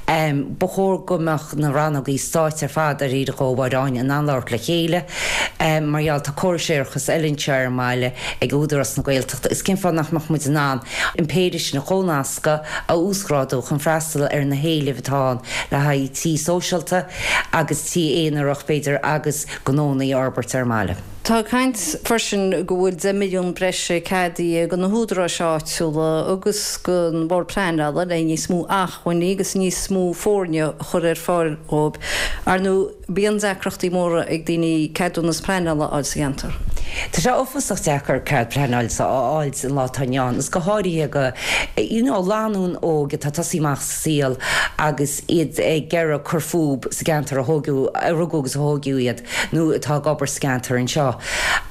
ba chóir go mbeadh na rannógaí stáit ar fad ar iarraidh ó Mháire Áine in ann labhairt le chéile mar gheall tá córais séarachais eile anseo ar an mbaile ag Údarás na Gaeltachta agus cén fáth nach mbeadh muid in ann an péire sin a chomhnascadh, a uasghrádú chun freastal ar na héilimh atá ann le haghaidh tí sóisialta agus tí aonarach b'fhéidir agus gnónna a fhorbairt ar an mbaile. Tá caint freisin go bhfuil 10 milliún breise ceadaithe do na húdaráis áitiúla agus don Bhord Pleanála le níos mó acmhainní agus níos mó foirne a chur ar fáil dhóibh. Ar ndóigh, bíonn deacrachtaí móra ag daoine ceadúnas pleanála a fháil sa cheantar. Tá sé uafásach deacair cead pleanála a fháil an lá atá inniu ann, agus go háirithe do you know lánúin óg atá ag tosaí amach sa saol agus iad ag iarraidh cur fúb sa gceantar a thógadh, a rugadh agus a thógadh iad. nó atá ag obair sa gceantar anseo.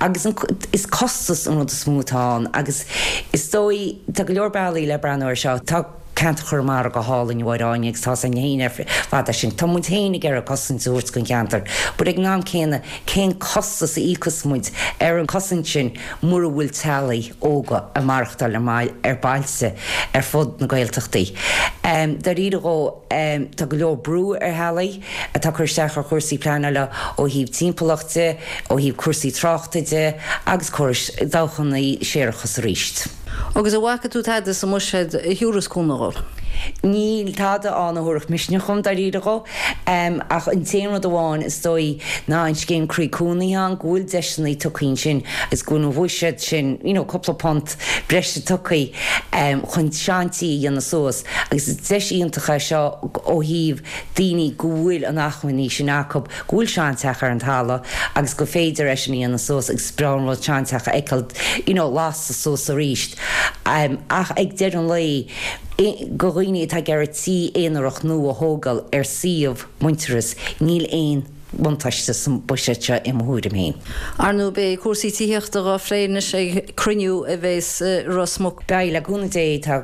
Agus is costas an rud is mó atá ann agus is dóigh, tá go leor bealaí le breathnú air seo. Tá ceantar Chonamara go hálainn, a Mháire Áine, agus tá's againn féin ar fad é sin. Tá muid féin ag iarraidh cosaint a thabhairt don cheantar but ag an am céanna cén costas a íocfas muid ar an chosaint sin mura bhfuil teaghlaigh óga ag maireachtáil ar bailte ar fud na Gaeltachtaí. Dáiríre dhó, tá go leor brú ar theaghlaigh. atá ag cur isteach ar chúrsaí pleanála ó thaobh timpeallacht de, ó thaobh cúrsaí tráchta de agus córais dabhchanna séarachais arís. Agus an bhfaca tú tada sa mbuiséad a thiúrfas cúnamh dhóibh? Níl tada ann a thabharfadh misneach dhom, dáiríre dhó. Ach an t-aon rud amháin, is dóigh, ná an scéim Croí Cónaithe ann, go bhfuil deiseanna tugtha ansin agus go bhfuil an bhuiséad sin, you know, cúpla punt breise tugtha chun seantí a dhéanamh suas. Agus is deis iontach é seo ó thaobh daoine go bhfuil an acmhainní sin acu, go bhfuil seanteach ar an talamh agus gur féidir é sin a dhéanamh suas agus is breá an rud seanteach a fheiceáil you know lasta suas arís. Ach ag deireadh an lae, do dhaoine atá ag iarraidh tí aonarach nua a thógáil ar suíomh Muintearas, níl aon bhuntáiste sa mbuiséad seo i mo thuairim féin. Ar ndóigh beidh cúrsaí tithíochta dhá phlé anois ag cruinniú a bheas i Ros Muc. Beidh, le cúnamh Dé. Tá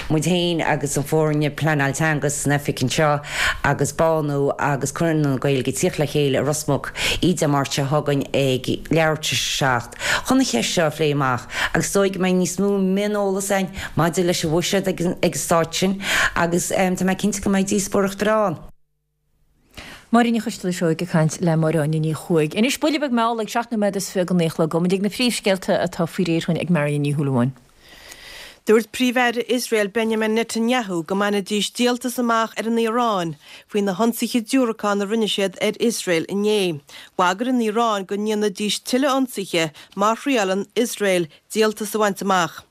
muid féin agus an foirne pleanáil teanga san oifig anseo agus Bánú agus Conradh na Gaeilge ag tíocht le chéile i Ros Muc oíche Dé Máirt seo chugainn ag leathuair tar éis a 7 chun an cheist seo a phlé amach agus is dóigh go mbeidh níos mó mioneolas againn maidir leis an bhuiséad ag an staid sin agus tá mé cinnte go mbeidh díospóireacht breá ann. Máirín Ní Choisteala Seoighe ag caint le Máire Áine Ní Chuaig. Anois, buille beag mall ag 7 nóiméad is 20 go 9 a chlog. Gabhfaidh muid ag na príomhscéalta atá faoi réir chugainn ag Marion Ní Shúilleabháin. Dúirt Príomh-Aire Iosrael Benjamin Netanyahu go mbainfidís díoltas amach ar an Iaráin faoi na hionsaithe diúracán a rinne siad ar Iosrael inné. Bhagair an Iaráin go ndéanfaidís tuilleadh ionsaithe má thriaileann Iosrael díoltas a bhaint amach.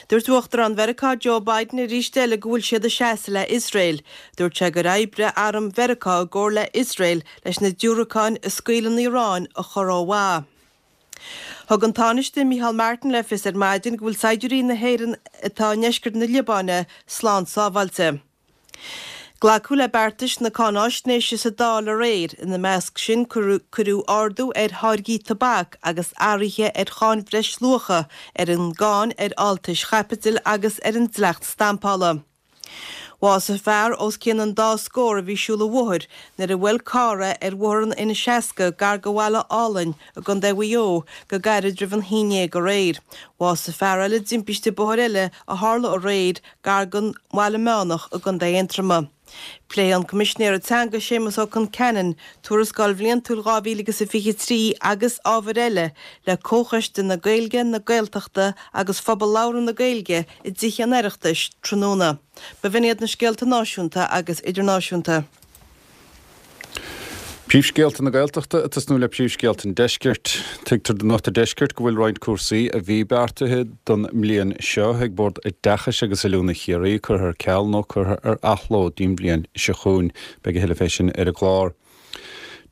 Dúirt Uachtarán Mheiriceá Joe Biden arís eile go bhfuil siad ag seasamh le Iosrael. Dúirt sé gur oibrigh arm Mheiriceá i gcomhar le Iosrael leis na diúracáin a scaoil an Iaráin a chur ó mhaith. Thug an Tánaiste Micheál Martin le fios ar maidin go bhfuil saighdiúirí na hÉireann atá i ndeisceart na Liobáine slán sábháilte. Glacadh le beartais na cáináisnéise sa Dáil aréir, ina measc sin cuireadh ardú ar tháirgí tobac agus athruithe ar cháin bhreisluacha, ar an gcáin ar fháltais chaipitil agus ar an dleacht stampála. Bhásaigh fear os cionn an dá scór a bhí ag siúl an bhóthair nuair a bhuail carr é ar bhóthar an N60 gar do Bhaile Álainn i gContae Mhaigh Eo go gairid roimh an haon dhéag aréir. Bhásaigh fear eile i dtimpiste bóthair eile a tharla aréir gar don Bhaile Meánach i gContae Aontroma. Pléifidh an Coimisinéir Teanga Séamus Ó Concheanainn Tuarascáil Bhliantúil 2023 agus ábhair eile le Comhchoiste na Gaeilge, na Gaeltachta agus Phobal Labhartha na Gaeilge i dTithe an Oireachtais tráthnóna. B'in iad na scéalta náisiúnta agus idirnáisiúnta. Príomhscéalta na Gaeltachta ag tosnú le príomhscéalta an Deiscirt. Tuigtear do Nuacht an Deiscirt go bhfuil roinnt cúrsaí a bhí beartaithe don mbliain seo ag Bord Oideachais agus Oiliúna Chiarraí curtha ar ceal nó curtha ar athló dtí'n bhliain seo chugainn. Beidh a thuilleadh fé sin ar an gclár.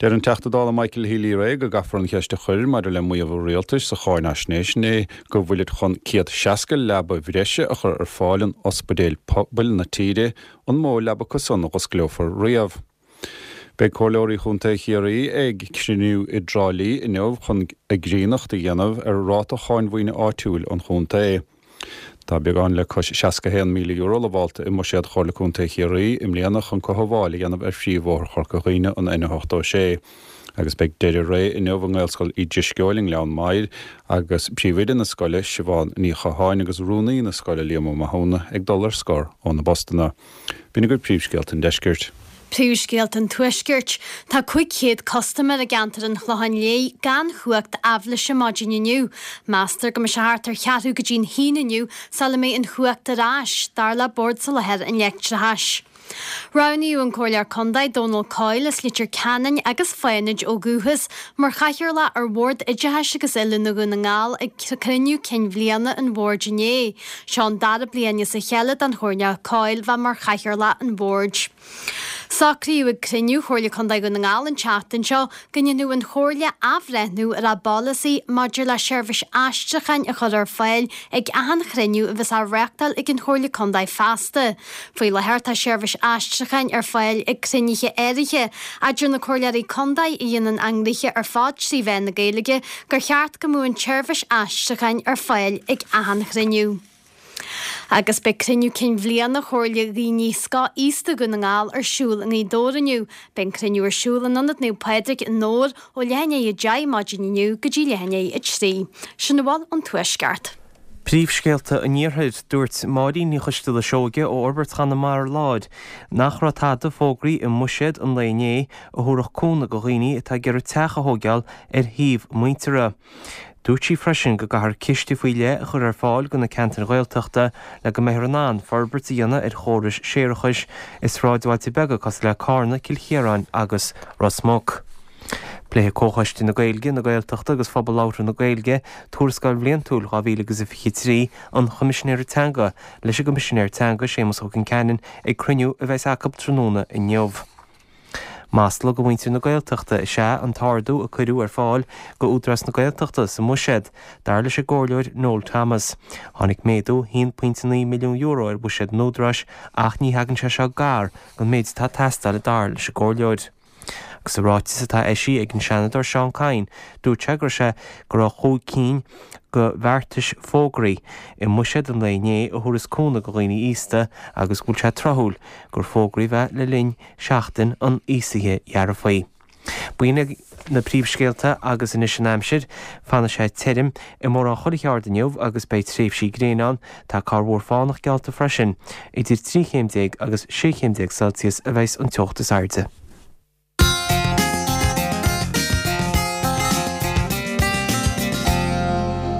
Deir an Teachta Dála Michael Healy-Rae go gcaithfear an cheist a chur maidir le maíomh an Rialtais sa cháinaisnéis inné go bhfuilid chun 160 leaba bhreise a chur ar fáil in ospidéil pobail na tíre an mó leaba acu san a dh'osclófar riamh. Beidh Comhairleoirí Chontae Chiarraí ag cruinniú i dTrá Lí inniu chun a gcríonnacht a dhéanamh ar ráta cháin mhaoine áitiúil an chontae. Tá beagán le cois €61,000 lamhálta i mbuiséad Chomhairle Contae Chiarraí i mbliana chun cothabháil a dhéanamh ar phríomhbhóthar Chorca Dhuibhne, an N86. Agus beidh deireadh ré inniu i nGaelscoil Uí Drisceoil i nGleann Maghair agus príomhoide na scoile, Siobhán Ní Chatháin agus rúnaí na scoile, Liam Ó Mathúna, ag dul ar scor óna bpostanna. B'in agaibh príomhscéalta an deiscirt. Príomhscéalta an Tuaiscirt. Tá 500 custaiméir i gceantar an Chlocháin Léith gan chumhacht aibhléise maidin inniu. Meastar go mbeidh sé thart ar cheathrú go dtí'n haon inniu sula mbeidh an chumhacht ar ais, dar le Bord Soláthair an Leictreachais. Roghnaíodh an Comhairleoir Contae Dónal Coyle as Leitir Ceanainn agus Fánaid ó dhúchas mar chathaoirleach ar Bhord Oideachais agus Oiliúna Dhún na nGall ag cruinniú cinn bhliana an bhoird inné. Seo an dara bliain as a chéile don Chomhairleoir Coyle bheith mar chathaoirleach an bhoird. Socraíodh ag cruinniú Chomhairle Contae Dhún na nGall an tseachtain seo go ndéanfadh an Chomhairle athbhreithniú ar a bpolasaí maidir le seirbhís aistriúcháin a chur ar fáil ag achan chruinniú a bheas á reáchtáil ag an Chomhairle Contae feasta. Faoi láthair tá seirbhís aistriúcháin ar fáil ag cruinnithe áirithe, ach deir na Comhairleoirí Contae a dhéanann a ngnoithe ar fad trí mheán na Gaeilge gur cheart go mbeadh an tseirbhís aistriúcháin ar fáil ag achan chruinniú. Agus beidh cruinniú cinn bhliana Chomhairle Dhaoine Scothaosta Dhún na nGall ar siúl i nGaoth Dobhair inniu. Beidh an cruinniú ar siúl in Ionad Naomh Pádraig i nDobhar ó leath i ndiaidh 10 maidin inniu go dtí leath i ndiaidh 3. Sin a bhfuil ón Tuaisceart. Príomhscéalta an Iarthair, Dúirt Máirín Ní Choisteala Seoige ó Fhorbairt Chonamara Láir nach raibh tada fógraí i mbuiséad an lae inné a thabharfadh cúnamh go dhaoine atá ag iarraidh teach a thóigeáil ar shuíomh a muintire. Dúirt sí freisin go gcaithfear ciste faoi leith a chur ar fáil go na ceantair Ghaeltachta le go mbeifear in ann forbairt a dhéanamh ar chórais séarachais i sráidbhailte beaga cosúil le Cárna, Cill Chiaráin agus Ros Muc. Pléifidh Comhchoiste na Gaeilge, na Gaeltachta agus Phobal Labhartha na Gaeilge Tuarascáil Bhliantúil 2023 an Choimisinéara Teanga leis an gCoimisinéir Teanga Séamus Ó Concheanainn ag cruinniú a bheas acu tráthnóna inniu. Masla go mhuintir na Gaeltachta is ea an t-ardú a cuireadh ar fáil go Údarás na Gaeltachta sa mbuiséad, dar leis an gComhairleoir Noel Thomas. Tháinig méadú €1.9 milliún ar bhuiséad an Údaráis ach ní thagann sé seo gar don méid atá ag teastáil dar leis an gComhairleoir. Agus i ráiteas atá eisithe ag an Seanadóir Seán Kyne, dúirt sé go raibh sé go raibh chúig cinn de bheartais fógraí i mbuiséad an lae inné a thabharfas cúnamh go dhaoine aosta agus go bhfuil sé tráthúil gur fógraíodh é le linn Seachtain an Aosaithe Dhearfaigh. B'in iad na príomhscéalta agus anois an aimsir. Fanfaidh sé tirim i mórán chuile cheard inniu agus beidh tréimhsí gréine ann. Tá corrmhúr fánach geallta freisin. Idir 13 chéim agus 16 chéim Celsius a bheas an teocht is airde.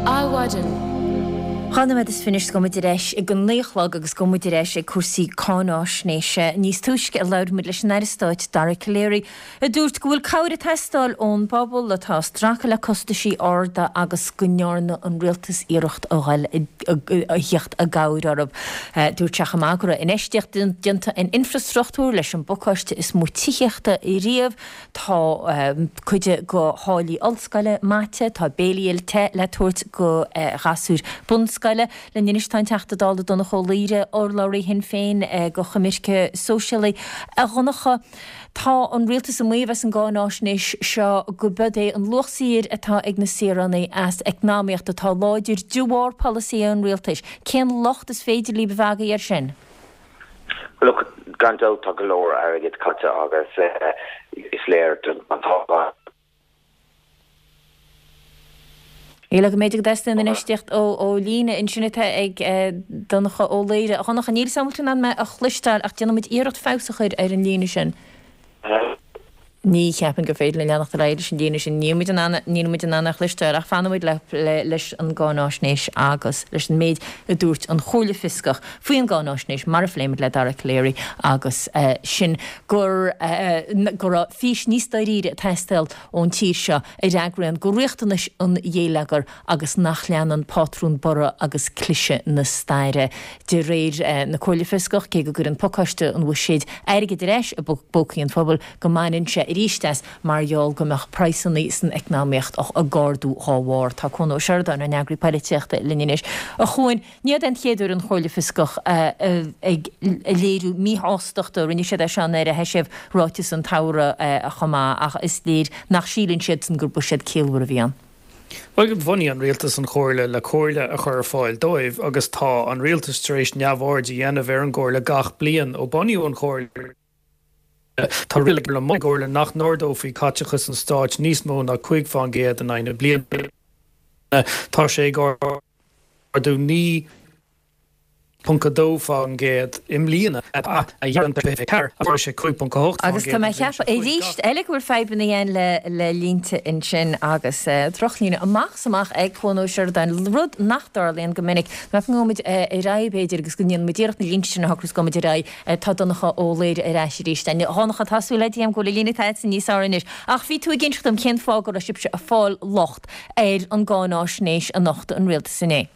Adhmhaidin. Dhá nóiméad is fiche anois gabhfaidh muid ar ais ag an 9 a chlog agus gabhfaidh muid ar ais ag cúrsaí cáináisnéise. Níos túisce a labhair muid leis an Aire Stáit Dara Calleary a dúirt go bhfuil cabhair ag teastáil ón bpobal atá ag stracadh le costaisí arda agus go ndearna an rialtas iarracht a dhul a thíocht i gcabhair orthu. Dúirt sé chomh maith go raibh infheistíocht déanta in infreastruchtúr leis an bpacáiste is mó tithíochta riamh, tá cuid de tháillí ollscoile maite, tá béilí te le tabhairt go ghasúir bunscoile. Linn anois tá an Teachta Dála Donncha Ó Laoghaire, urlabhraí Shinn Féin go choimirce sóisialaí. A Dhonncha, tá an rialtas ag maíomh as an gcáináisnéis seo go b'iod é an luach saothair atá ag na saoránaigh as eacnamaíocht atá láidir de bharr polasaithe an rialtais. Cén locht is féidir libh a bheith agaibh air sin? Look, gan dabht tá go leor airgid caite agus is léir don toghchán. Níl agam b'fhéidir go dteastaíonn infheistíocht ó líne ansin atá ag Donncha Ó Laoghaire. A Dhonncha, níl 'fhios a'm an bhfuil tú in ann mé a chloisteáil ach déanfaidh muid iarracht feabhas a chur ar an líne sin. Ní cheapaim gur féidir linn leanacht ar aghaidh leis an líne sin. Níl muid in ann, níl muid in ann é a chloisteáil ach fanfaidh muid le, le, leis an gcáináisnéis agus leis an méid a dúirt an Chomhairle Fioscach faoi an gcáináisnéis mar a phléigh muid le Dara Calleary agus sin gur, go raibh fís níos dáiríre ag teastáil ón tír seo a fhreagraíonn go riachtanais an ghéilleagair agus nach leanann pátrún borradh agus cliseadh na staire. De réir na Comhairle Fioscach, cé go gcuireann pacáiste an bhuiséid airgead ar ais i bpócaí an phobail, go mbaineann sé arís as mar gheall go mbeadh praghsanna san eacnamaíocht ag ardú dhá bharr. Tá Cuan Ó Seireadáin, ár n-eagraí poilitíochta, linn anois. A Chuain, Ní hé an chéad uair an Chomhairle Fioscach ag léiriú míshástachta, rinne siad é seo nuair a d'eisigh ráiteas an tsamhraidh chomh maith, ach is léir nach síleann siadsan gur buiséad ciallmhar a bhí ann. Bhuel, bhunaigh an rialtas an Chomhairle le comhairle a chur ar fáil dóibh agus tá an rialtas tar éis neamhaird a dhéanamh ar an gcomhairle gach bliain ó bunaíodh an Chomhairle. Tá riail ag an gComhairle nach n-ardófaí caiteachas an stáit níos mó ná 5 fán gcéad in aghaidh na bliana. Tá sé ag ardú 9.2 fán gcéad i mbliana, a 24 agus sé 5.8 fán Agus tá mé ag ceapadh arís eile go bhfuil fadhbanna againn le le línte ansin agus drochlíne amach is amach ag Cuan Ó Seireadáin, rud nach dtarlaíonn go minic. Measaim go ngabhfaidh muid ar aghaidh b'fhéidir agus go ndéanfaidh muid iarracht na línte sin a shocrú is gabhfaidh muid ar aghaidh. Tá Donncha Ó Laoghaire ar ais arís. A Dhonncha, tá súil agam go bhfuil an líne atá agatsa níos fearr anois. Ach bhí tú ag inseacht dom cén fáth go raibh sibhse ag fáil locht ar an gcáináisnéis a nocht an rialtas inné.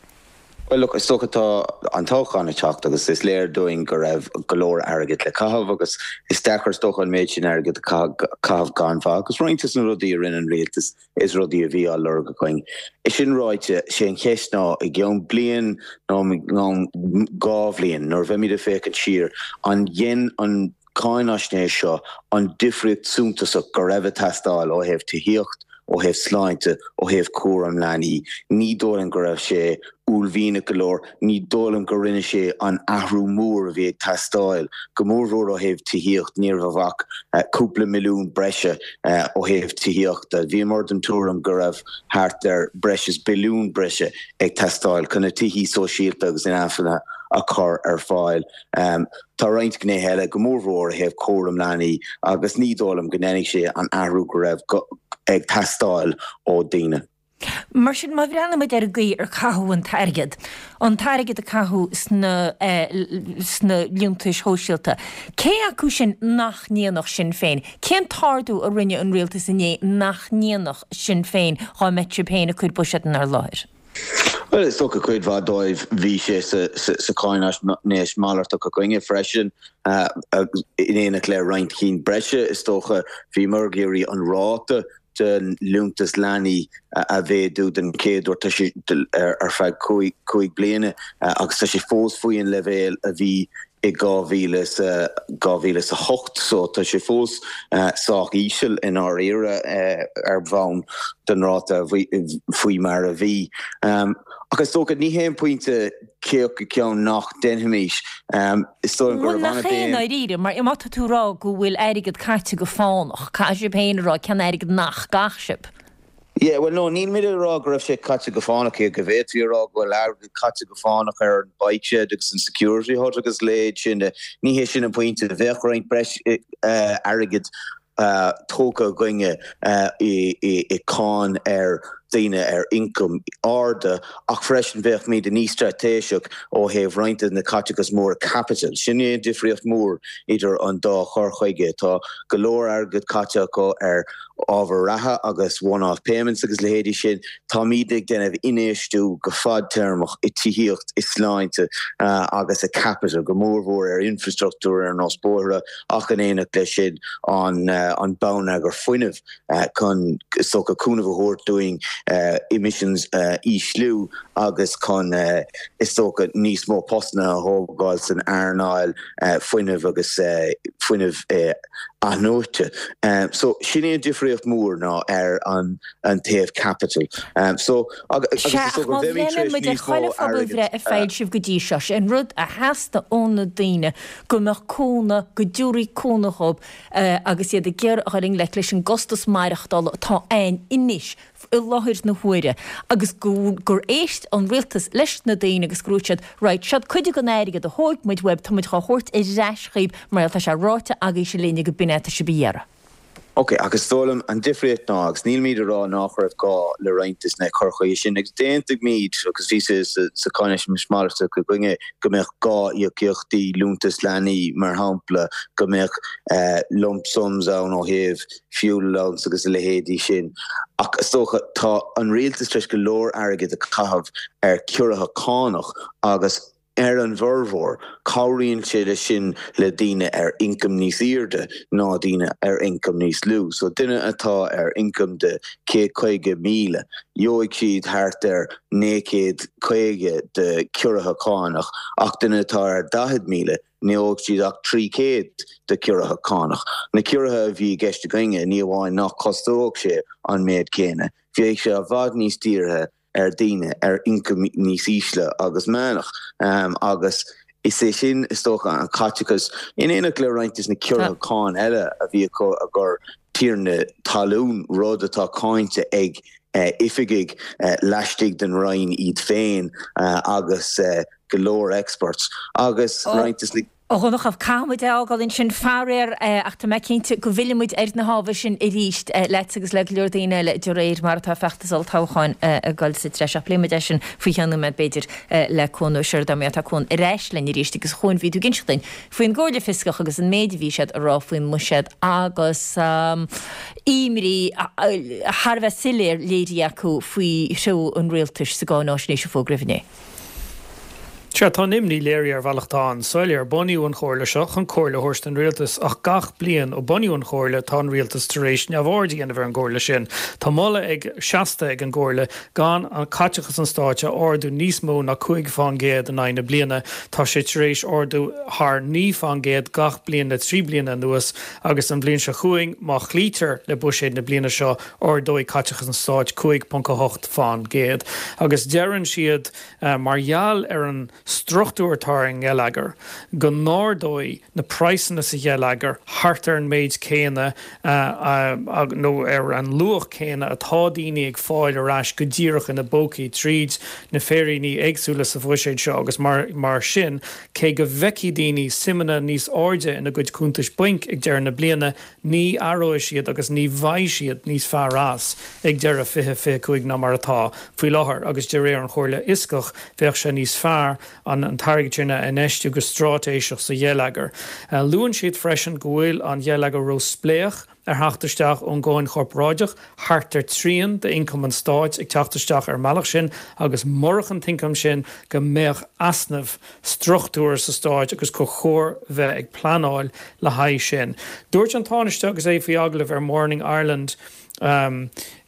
Bhuel, look, is dócha tá an toghchán ag teacht agus is léir dúinn go raibh go leor airgid le caitheamh agus is deacair is dócha an méid sin airgid a chaitheamh gan mhaith agus roinnt de na rudaí a rinne an rialtas is rudaí a bhí á lorg againn. É sin ráite, sé an cheist ná i gceann bliain nó i gceann 2 bhliain nuair a bheimid ag féachaint siar, an dhein an cáináisnéis seo an difríocht suntasach go raibh ag teastáil ó thaobh tithíocht, ó thaobh sláinte, ó thaobh cúram leanaí. Ní dóigh liom go raibh sé uaillmhianach go leor, ní dóigh liom go rinne sé an athrú mór a bhí ag teastáil, go mórmhór ó thaobh tithíocht, ní raibh ach cúpla milliún breise ó thaobh tithíochta. Bhíomar den tuairim go raibh thart ar breis is billiún breise ag teastáil chun na tithí sóisialta agus inacmhainne a chur ar fáil. Tá roinnt gnéithe eile, go mórmhór ó thaobh cúram leanaí, agus ní dóigh liom go ndéanfaidh sé an athrú go raibh ag teastáil ó daoine. Mar sin, má bhreathnaíonn muid ar an gcaoi ar caitheadh an t-airgead, an t-airgead a caitheadh sna sna liúntais shóisialta, cé acu sin nach ndéanfadh Sinn Féin? Cén t-ardú a rinne an rialtas inné nach ndéanfadh Sinn Féin dhá mbeadh sibh féin ag cur buiséad inár láthair? Bhuel, is dócha cuid mhaith dóibh, bhí sé sa cháinaisnéis malartach againne freisin, in éineacht le roinnt cinn breise, is dócha. Bhíomar ag iarraidh an ráta den liúntas leanaí a mhéadú den chéad uair, tá sé ar feadh cúig bliana agus tá sé fós faoi an leibhéal a bhí i 2008 so tá sé fós sách íseal i ndáiríre ar bhonn den ráta faoi mar a bhí. Ach is dócha, ní hé an pointe cé acu ceann nach ndéanfaimis. Is dóigh liom go raibh an-bhéim. Bhuel nach é i ndáiríre, mar má tá tú ag rá go bhfuil airgead caite go fánach, caithfidh sibh féin a rá cén airgead nach gcaith sibh. Yeah, bhuel no, níl muid ag rá go raibh sé caite go fánach, cé go bhféadfaí a rá go bhfuil airgead caite go fánach ar an bike shed agus an security hut agus a leithéid sin de. Ní hé sin an pointe. Bheadh roinnt breis airgid tógtha againne i cáin ar daoine ar ioncaim arda ach freisin bheadh muid níos straitéiseach ó thaobh roinnt de na caiteachas móra caipitil. Sin é an difríocht mhór idir an dá chur chuige. Tá go leor airgead caite acu ar ábhair reatha agus one-off payments agus leithéidí sin, táimid ag déanamh infheistiú go fadtéarmach i tithíocht, i sláinte agus i capital, go mórmhór ar infreastruchtúr ar nós bóithre ach in éineacht leis sin an bonneagar fuinnimh chun is dócha cúnamh a thabhairt dúinn emissions a ísliú agus chun is dócha níos mó postanna a thógáil san earnáil fuinnimh agus fuinneamh athnuaite. So, sin é an difríocht mhór ná ar an taobh caipitil. So, agus is Sea, ach dócha má bheimid tar bhreathnaíonn éis muid ar níos mó chuile airgid phobalbhreith a a. foilsíodh go dtí seo, sé an rud a theastaigh ó na daoine go mbeadh cúnamh, go dtabharfaí cúnamh dhóibh agus iad ag iarraidh a dhul i ngleic leis an gcostas maireachtála atá ann anois i láthair. láthair na huaire agus gur éist an rialtas leis na daoine agus go ndúirt siad right, seod cuid den airgead a thóig muid uaibh, tá muid dhá thabhairt ar ais dhaoibh mar tá sé ráite agaibhse linne go b'in é atá sibh a iarraidh. Ok, ach is dóigh liom an difríocht ná, agus nílimid ag rá nách raibh gá le roinnt de na cur chuige sin, agus d'aontaímid, agus bhí sé sa cháinaisnéis malartach againne, go mbeadh gá íocaíochtaí liúntas leanaí, mar shampla, go mbeadh lump sums ann ó thaobh fuel allowance agus a leithéidí sin. Ach is dócha, tá an rialtas tar éis go leor airgid a chaitheamh ar ciorruithe cánach agus, Ar an bhformhór, cabhraíonn sé leis sin le daoine ar ioncam níos airde ná daoine ar ioncam níos lú. So duine atá ar ioncam de 150,000, gheobhaidh siad thart ar 950 de ciorruithe cánach ach duine atá ar 40,000, ní gheobhaidh siad ach 300 de ciorruithe cánach. Na ciorruithe a bhí i gceist againne, ní amháin nach costódh sé an méid céanna, bheadh sé i bhfad níos dírithe ar daoine ar ioncam níos ísle agus meánach agus is é sin is dócha an caiteachas, in éineacht le roinnt de na ciorruithe cáin eile a bhí acu i gcomhair tiarnaí talún, rud atá cáinte ag oifigigh laistigh den Roinn iad féin agus go leor experts agus roinnt de na. A Dhonncha, caithfidh muid é a fhágáil ansin, faraor, ach tá mé cinnte go bhfillfidh muid ar na hábhair sin arís leat agus le go leor daoine eile de réir mar atá feachtas olltoghcháin ag dul sa treis. Ach pléifidh muid é sin faoi cheann nóiméad, b'fhéidir, le Cuan Ó Seireadáin. Má tá Cuan ar ais linn arís agus a Chuain, bhí tú ag inseacht duinn faoin gComhairle Fioscach agus an méid a bhí siad a rá faoin mbuiséad agus imní thar a bheith soiléir léirithe acu faoi threo an rialtais sa gcáináisnéis a fógraíodh inné. Sea, tá an imní léirithe ar bhealach atá an-soiléir. Bunaíodh an Chomhairle seo chun comhairle a thabhairt don Rialtas, ach gach bliain ó bunaíodh an Chomhairle tá an Rialtas tar éis neamhaird a dhéanamh ar an gcomhairle sin. Tá moladh ag seasta ag an gComhairle gan an caiteachas an Stáit a ardú níos mó ná 5 fán gcéad in aghaidh na bliana. Tá sé tar éis ardú thar 9 fán gcéad gach bliain le 3 bliana anuas agus an bhliain seo chugainn, má chloítear le buiséad na bliana seo, ardóidh caiteachas an Stáit 5.8 fán gcéad. Agus deireann siad. Mar gheall ar an struchtúr atá ar an ngeilleagar, go n-ardóidh na praghsanna sa gheilleagar thart ar an méid céanna nó ar an luach céanna atá daoine ag fáil ar ais go díreach ina bpócaí tríd na féiríní éagsúla sa bhuiséad seo agus mar sin, cé go bhfeicfidh daoine suimeanna níos airde ina gcuid cuntais bainc ag deireadh na bliana, ní aireoidh siad agus ní bheidh siad níos fearr as ag deireadh 2025 ná mar atá faoi láthair agus de réir an Chomhairle Fhioscach bheadh sé níos fearr an t-airgead sin a infheistiú go stráitéiseach sa gheilleagar. Luann siad freisin go bhfuil an gheilleagar ró-spléach ar theacht isteach ón gcáin chorparáideach, thart ar trian d'ioncam an stáit ag teacht isteach ar an mbealach sin agus murach an t-ioncam sin go mbeadh easnamh struchtúrtha sa stáit agus gur chóir bheith ag pleanáil le haghaidh sin. Dúirt an Tánaiste agus é faoi agallamh ar Morning Ireland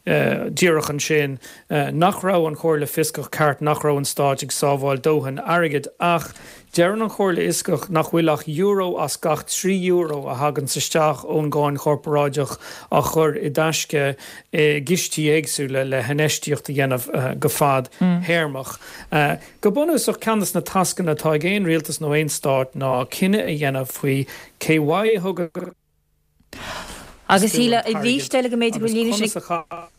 díreach ansin nach raibh an Chomhairle Fioscach ceart nach raibh an stáit ag sábháil dóthain airgid ach deireann an Chomhairle Fhioscach nach bhfuil ach euro as gach 3 euro a thaganns isteach ón gcáin chorparáideach á chur i dtaisce i gcistí éagsúla le hinfheistíocht a dhéanamh go fad-théarmach. Go bunúsach, ceann de na tascanna atá ag aon rialtas nó aon stát ná cinneadh a dhéanamh faoi cé uaidh a thugann Agus tú an arís t-airgead eile go mb'fhéidir go agus bhfuil líne conas sin a chaith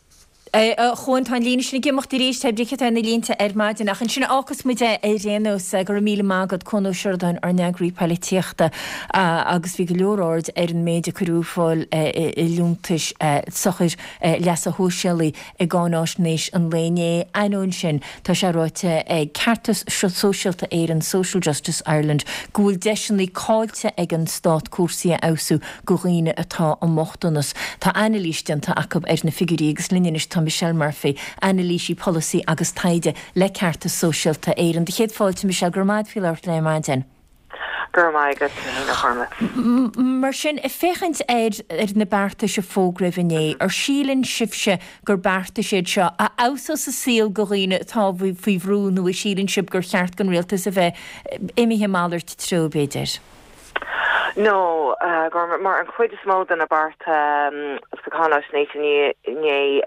A Chuain, tá an líne sin ag imeacht arís, pé brí atá ar na línte ar maidin, ach ansin a fhágfas muid é ar aon nós. Go raibh míle maith agat, Cuan Ó Seireadáin, ár n-eagraí poilitíochta, agus bhí go leor aird ar an méid a cuireadh ar fáil i liúntais sochair leasa shóisialaigh i gcáináisnéis an lae inné. Ainneoin sin, tá sé ráite ag Ceartas Sóisialta Éireann, Social Justice Ireland, go bhfuil deiseanna caillte ag an stát cúrsaí a fheabhsú do dhaoine atá i mbochtanas. Tá anailís déanta acu ar na figiúirí agus linn anois tá Michelle Murphy, anailísí polasaí agus taighde le Ceartas Sóisialta Éireann. Do chéad fáilte, Michelle, go raibh maith agat faoi labhairt linn ar maidin. Go raibh maith agat, a Ghormfhlaith. Mar sin, ag féachaint ar na beartais a fógraíodh inné, ar síleann sibhse gur beartais iad seo a fheabhsós an saol do dhaoine atá faoi bhrú nó a síleann sibh gur cheart don rialtas a bheith imithe malairt treo, b'fhéidir? No, Gormfhlaith, mar an chuid is mó de na bearta sa cháinaisnéis inné.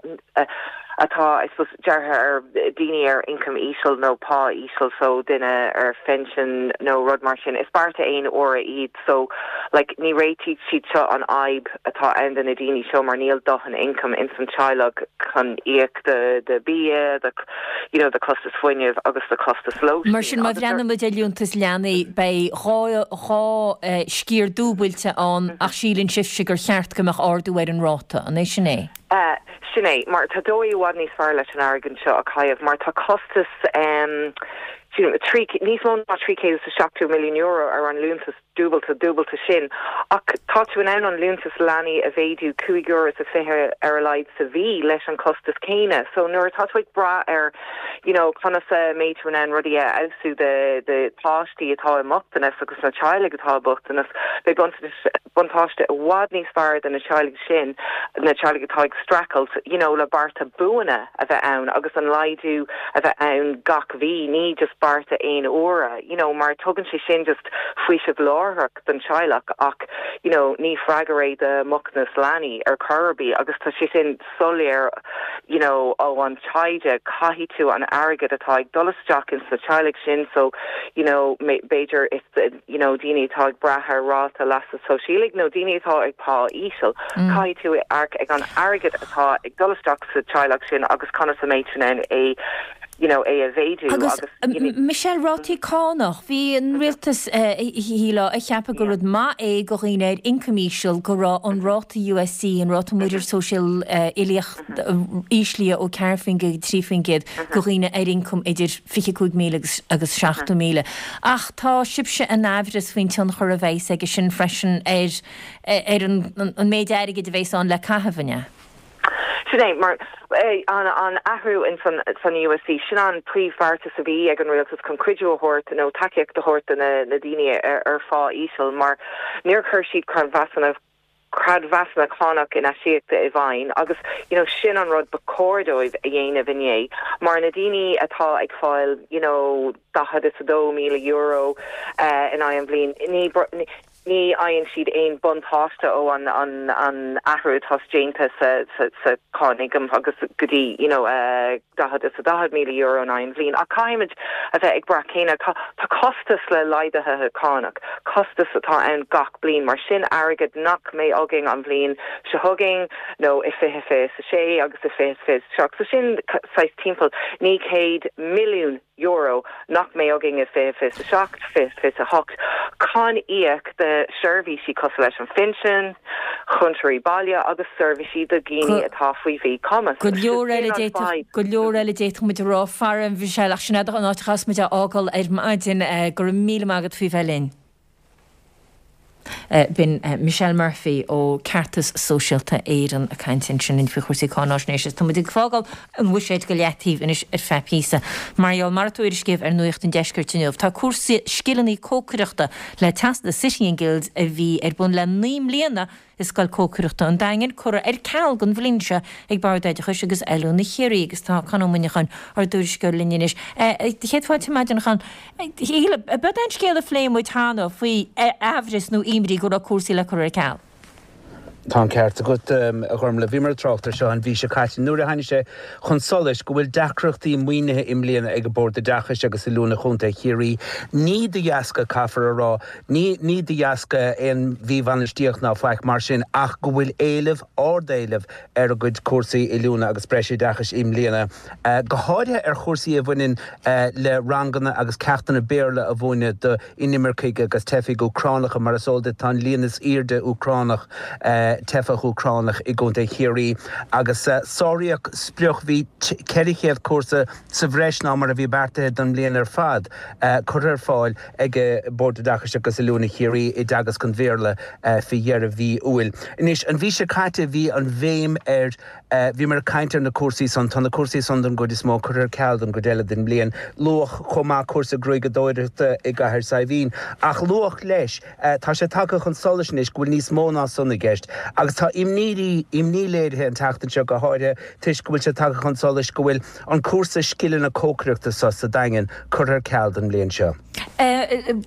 atá, I suppose, deartha ar daoine ar ioncam íseal nó pá íseal so duine ar phension nó rud mar sin. Is bearta aon uaire iad so like ní réitíonn siad seo an fhadhb atá ann do na daoine seo mar níl dóthain income ins an teaghlach chun íoc do do bia, do you know do costas fuinnimh agus do costas lóistín. Mar sin má bhreathnaímid ar liúntas leanaí beidh 2 sciar dúbailte ann ach síleann sibhse gur cheart go mbeadh ardú ar an ráta, an é sin é? Sin é, mar tá dóigh i bhfad níos fearr leis an airgead seo a chaitheamh, mar tá costas níos mó ná €370 milliún ar an liúntas dúbailte dúbailte sin, ach tá tú in ann an liúntas leanaí a mhéadú €5.20 ar a laghad sa mhí leis an costas céanna. So nuair atá tú ag brath ar you know conas a mbeidh tú in ann rudaí a fheabhsú do do páistí atá i mbochtanas agus na teaghlaigh atá i mbochtanas, beidh buntáiste i bhfad níos fearr do na teaghlaigh sin, na teaghlaigh atá ag streachailt you know le bearta buana a bheith ann agus an laghdú a bheith ann gach mhí, ní just bearta aon uaire you know mar tugann sé sin just faoiseamh láithreach don teaghlach ach you know ní freagra é do mbochtanas leanaí ar chor ar bith agus tá sé sin soiléir you know ó an taighde caithfidh tú an airgead atá ag dul isteach ins na teaghlaigh sin so you know b'fhéidir is you know daoine atá ag brath ar ráta leasa sóisialaigh nó daoine atá ag pá íseal caithfidh tú amharc ag an airgead atá ag dul isteach sa teaghlach sin agus conas a mbeidh tú in ann é you know é a mhéadú Agus agus Michelle, rátaí cánach, bhí an rialtas shílfeá ag ceapadh gur rud maith é go dhaoine ar ioncam íseal go raibh an ráta USC, an ráta muirear sóisial uilíoch íslithe ó 4% go 3% go dhaoine ar ioncam idir 25,000 agus agus 70,000. Ach tá sibhse in aimhreas faoin tionchar a bheas aige sin freisin ar ar an méid airgid a bheas ann le caitheamh, an ea? Sin é, mar an athrú in san USC, sin an príomhbheartas a bhí ag an rialtas chun cuidiú a thabhairt nó tacaíocht a thabhairt do na daoine ar phá íseal mar níor chuir siad creidmheasanna creidmheasanna cánach in-aisíoctha i bhfeidhm agus you know sin an rud ba chóir dóibh a dhéanamh inné mar na daoine atá ag fáil you know €42,000 in aghaidh an bhliain ní Ní fhaigheann siad aon buntáiste ó an an athrú atá déanta sa sa cháin ioncaim agus go dtí you know €40,000 in aghaidh an bhliain. Ach caithfimid a bheith ag brath céanna tá tá costas le laghduithe cánach, costas atá ann gach bliain mar sin airgead nach mbeidh againn an bhliain seo chugainn nó i 2026 agus i 2027. So sin saghas timpeall €900 milliún nach mbeidh againn i 2027, 2028 chun íoc do sheirbhísí cosúil leis an phinsean, chúntóirí baile agus seirbhísí do dhaoine atá faoi mhíchumas. Go leor eile d'fhéadfadh, go leor eile d'fhéadfadh muid a rá, fara, Michelle, ach sin an áit a chaithfeas muid a fhágáil ar maidin. Go raibh míle maith agat faoi bheith linn. B'in Michelle Murphy ó Ceartas Sóisialta Éireann ag caint ansin linn faoi chúrsaí cáináisnéise. Tá muid ag fágáil an bhuiséid go leataobh anois ar feadh píosa. Mar gheall, mar a tuairiscíodh ar Nuacht an Deiscirt inniu, tá cúrsa scileanna cócaireachta le Teastas City and Guilds a bhí ar bun le 9 mbliana i Scoil Cócaireachta an Daingin curtha ar ceal don bhliain seo ag Bord Oideachais agus Oiliúna Chiarraí agus tá Conn Ó Muineacháin, ár dtuairisceoir linn anois. Céad fáilte ar maidin, a Chonn. Shíle, ab é an scéal a phléigh muid cheana faoi aimhreas nó imní go raibh cúrsaí le cur ar ceal? Tá an ceart agat, a Ghormlaith. Bhíomar ag trácht air seo an mhí seo caite nuair a tháinig sé chun solais go bhfuil deacrachtaí maoinithe i mbliana ag Bord Oideachais agus Oiliúna Chontae Chiarraí. Ní de dheasca, caithfear a rá, Ní, ní de dheasca aon mhíbhainistíocht ná faic mar sin ach go bhfuil éileamh, ard-éileamh ar a gcuid cúrsaí oiliúna agus breisoideachais i mbliana, go háirithe ar chúrsaí a bhaineann le ranganna agus ceachtanna Béarla a mhúineadh do inimircigh agus teifigh Úcránacha. Mar is eol duit tá an líon is airde Úcránach, teifeach Úcránach i gContae Chiarraí agus sáraíodh sprioc, bhí 400 cúrsa sa bhreis ná mar a bhí beartaithe don mbliain ar fad curtha ar fáil ag Bord Oideachais agus Oiliúna Chiarraí i dteagasc an Bhéarla faoi dheireadh mhí Iúil. Anois, an mhí seo caite bhí an bhéim ar, bhíomar ag caint ar na cúrsaí san, tá na cúrsaí san don gcuid is mó curtha ar ceal don gcuid eile den mbliain. Luadh chomh maith cúrsa gruaigeadóireachta i gCathair Saidhbhín. Ach luadh leis, tá sé tagtha chun solais anois go bhfuil níos mó ná san i gceist agus tá imní, imní léirithe an tseachtain seo go háirithe toisc go bhfuil sé tagtha chun solais go bhfuil an cúrsa scileanna cócaireachta so sa Daingean curtha ar ceal don mbliain seo.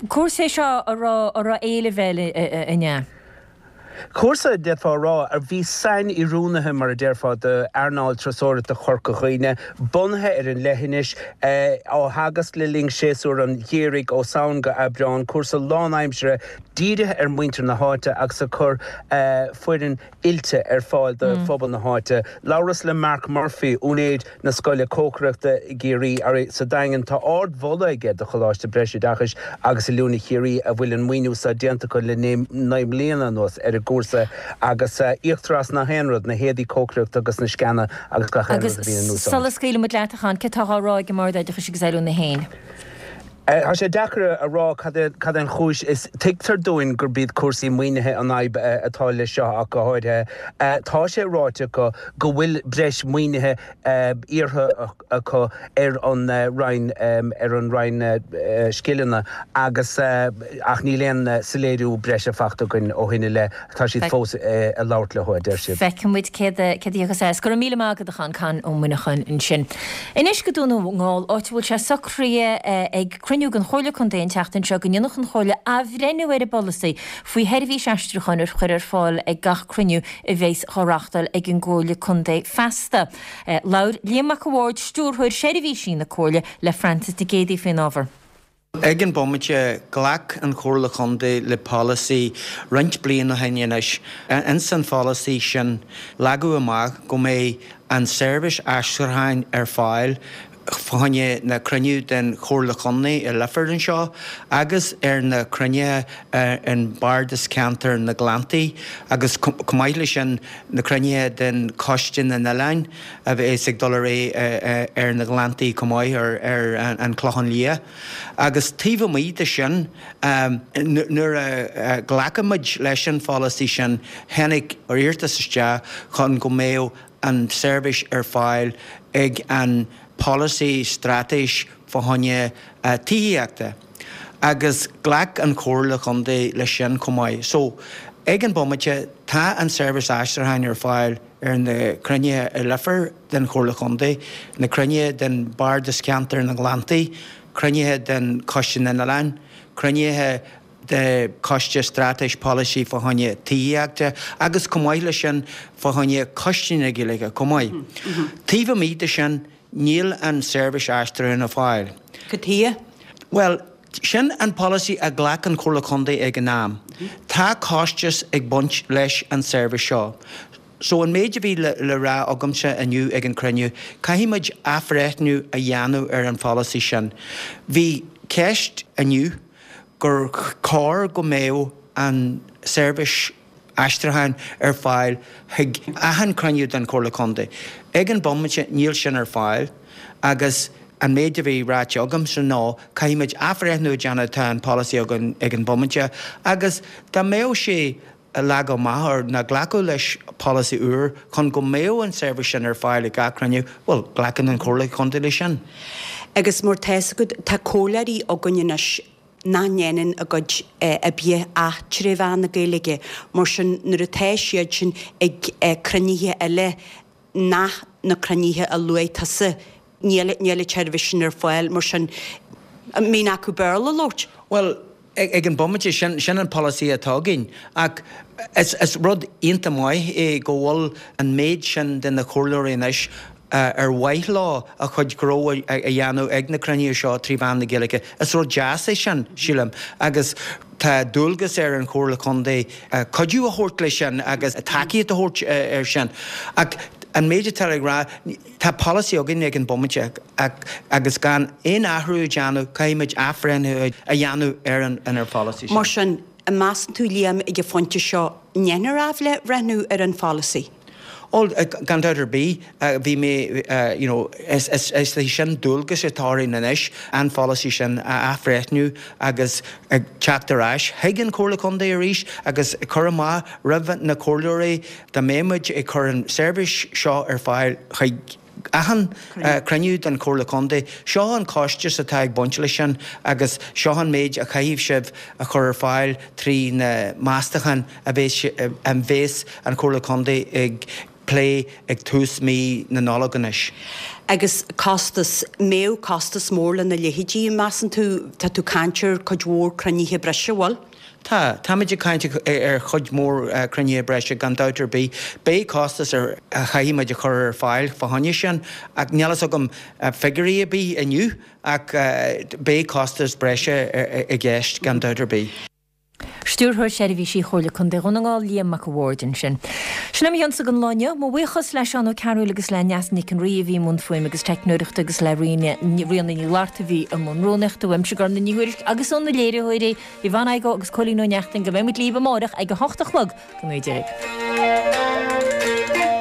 Cúrsa é seo a raibh éileamh air, an ea? Cúrsa, d'fhéadfá a rá, a bhí sain-oiriúnaithe, mar a déarfá, d'earnáil turasóireachta Chorca Dhuibhne, bunaithe ar an leithinis, á theagasc le linn séasúr an gheimhridh ó Samhain go Aibreán, cúrsa lánaimseartha dírithe ar mhuintir na háite agus ag cur foireann oilte ar fáil do phobal na háite. Labhras le Mark Murphy, úinéir na Scoile Cócaireachta i gCiarraí, sa Daingean. Tá ard-mholadh aige do Choláiste Breisoideachais agus Oiliúna Chiarraí a bhfuil an maoiniú seo déanta acu le 9 mbliana anuas ar an gcúrsa agus íoctar as nach aon rud, na héadaí cócaireachta agus na sceana agus gach aon Agus rud a bhíonn in úsáid. sula scaoilfidh muid leat, a Chon, céard atá á rá ag an mBord Oideachais agus Oiliúna féin? Tá sé deacair a rá cad é an chúis. Is tuigtear dúinn gurb iad cúrsaí maoinithe an fhadhb atá leis seo ach go háirithe. Tá sé ráite acu go bhfuil breis maoinithe iarrtha acu ar an Roinn ar an Roinn Scileanna agus ach níl aon soiléiriú breise faighte againn ó shin i leith. Tá siad fós ag labhairt leo, a deir siad. Feicfidh muid céard a thiocfas as. Go raibh míle maith agat, a Chon, Con Ó Muineacháin ansin. Anois go Dún na nGall, áit a bhfuil sé socraithe ag cruinniú den Chomhairle Contae an tseachtain seo go ndéanfadh an Chomhairle athbhreithniú ar an bpolasaí faoi sheirbhís aistriúcháin a chur ar fáil ag gach cruinniú a bheas á reáchtáil ag an gComhairle Contae feasta. Labhair Liam Mac a' Bhaird, Stiúrthóir Seirbhísí na Comhairle, le Frances Nic Géadaigh faoin ábhar. Ag an bomaite, ghlac an Chomhairle Chontae le polasaí roinnt bliain ó shin anois. Ins an pholasaí sin, leagadh amach go mbeidh an seirbhís aistriúcháin ar fáil fá choinne na cruinniú den Chomhairle Chontae i Leifear anseo agus ar na cruinnithe in Bardas Ceantar na nGleanntaí agus chomh maith leis sin na cruinnithe den Choiste na nOileáin a bheas ag dul ar aghaidh ar na Gleanntaí chomh maith, ar an Chlochán Liath. Agus taobh amuigh de sin, nuair a ghlac muid leis an pholasaí sin, tháinig iarratas isteach chun go mbeadh an tseirbhís ar fáil ag an polasaí straitéis fá choinne tithíochta. Agus ghlac an Chomhairle Chontae leis sin chomh maith. So, ag an bomaite, tá an seirbhís aistriúcháin ar fáil. ar na cruinnithe i Leifear den Chomhairle Chontae, na cruinnithe den Bhardas Ceantar na nGleanntaí, cruinnithe den Choiste na nOileán, cruinnithe de Choiste Straitéis Polasaí fá choinne Tithíochta agus chomh maith leis sin fá choinne Coiste na Gaeilge chomh maith. Taobh amuigh de sin, níl an seirbhís aistriúcháin ar fáil. Cad chuige? Bhuel, sin an polasaí a ghlac an Chomhairle Contae ag an am. Tá costas ag baint leis an seirbhís seo. So an méid a bhí le rá agamsa inniu ag an cruinniú, caithfidh muid athbhreithniú a dhéanamh ar an pholasaí sin. Bhí ceist inniu gur chóir go mbeadh an seirbhís aistriúcháin ar fáil chuig achan cruinniú den Chomhairle Contae. Ag an bomaite níl sin ar fáil agus an méid a bhí ráite agamsa ná caithfidh muid athbhreithniú a déanamh, tá an polasaí againn ag an bomaite agus dá mbeadh sé leagtha amach or ná glacadh leis polasaí úr chun go mbeadh an seirbhís sin ar fáil ag gach cruinniú, bhuel, glacann an Chomhairle Contae leis sin. Agus mar tá 'fhios agat, tá comhairleoirí againn anois nach ndéanann a gcuid oibre ach tré mheán na Gaeilge. Mar sin, nuair atá siad sin ag cruinnithe eile nach na cruinnithe a luaigh tusa, níl níl an tseirbhís sin ar fáil. Mar sin, an mbíonn acu Béarla a labhairt? Bhuel, ag an bomaite, sin sin an polasaí atá againn. Ach is is rud iontach maith é go bhfuil an méid sin de na comhairleoirí anois ar mhaith leo a chuid gnó a dhéanamh ag na cruinnithe seo trí mheán na Gaeilge. Is rud deas é sin, sílim, agus tá dualgas ar an Chomhairle Contae cuidiú a thabhairt leis sin agus tacaíocht a thabhairt air sin. Ach an méid atá ag rá, tá polasaí againn ag an bomaite agus gan aon athrú a dhéanamh, caithfidh muid athbhreithniú a dhéanamh ar an pholasaí sin. Mar sin, an measann tú, Liam, ag an phointe seo, ndéanfar athbhreithniú ar an pholasaí? Ó, gan dabht ar bith, bhí mé, you know, is é sin dualgas atá orainn anois, an pholasaí sin a athbhreithniú agus ag teacht ar ais chuig an Chomhairle Contae arís agus cur amach roimh na comhairleoirí dá mbeadh muid ag cur an seirbhís seo ar fáil chuig achan cruinniú den Chomhairle Contae. Seo an costas atá ag baint leis sin agus seo an méid a chaithfidh sibh a chur ar fáil trí na meastacháin a bheas an Chomhairle Contae ag plé ag tús mí na Nollag anois. Agus costas, mbeadh costas mór lena leithéidí, measann tú? Tá tú ag caint ar cuid mhór cruinnithe breise, bhfuil? Tá. Táimid ag caint ar chuid mhór cruinnithe breise gan dabht ar bith. Beidh costas ar a chaithfidh muid a chur ar fáil fá choinne sin ach níl fhios agam figiúirí ar bith inniu ach beidh costas breise i gceist gan dabht ar bith. Stiúrthóir Seirbhísí Chomhairle Contae Dhún na nGall, Liam Mac a' Bhaird ansin. Sin é mo chionsa don lá inniu. Mo bhuíochas le Seán Ó Cearúil agus le Neasa Nic an Rí a bhí i mbun fuaime agus teicneoireachta agus le Ríona Ní Fhlatharta a bhí i mbun rúnaíochta. Uaimse Gormfhlaith Ní Thuairisg agus ó na léiritheoirí, Yvonne Igoe agus Cóilín Ó Neachtain go mbeidh muid libh amárach ag a hocht a chlog. Go ngnóthaí Dia dhaoibh.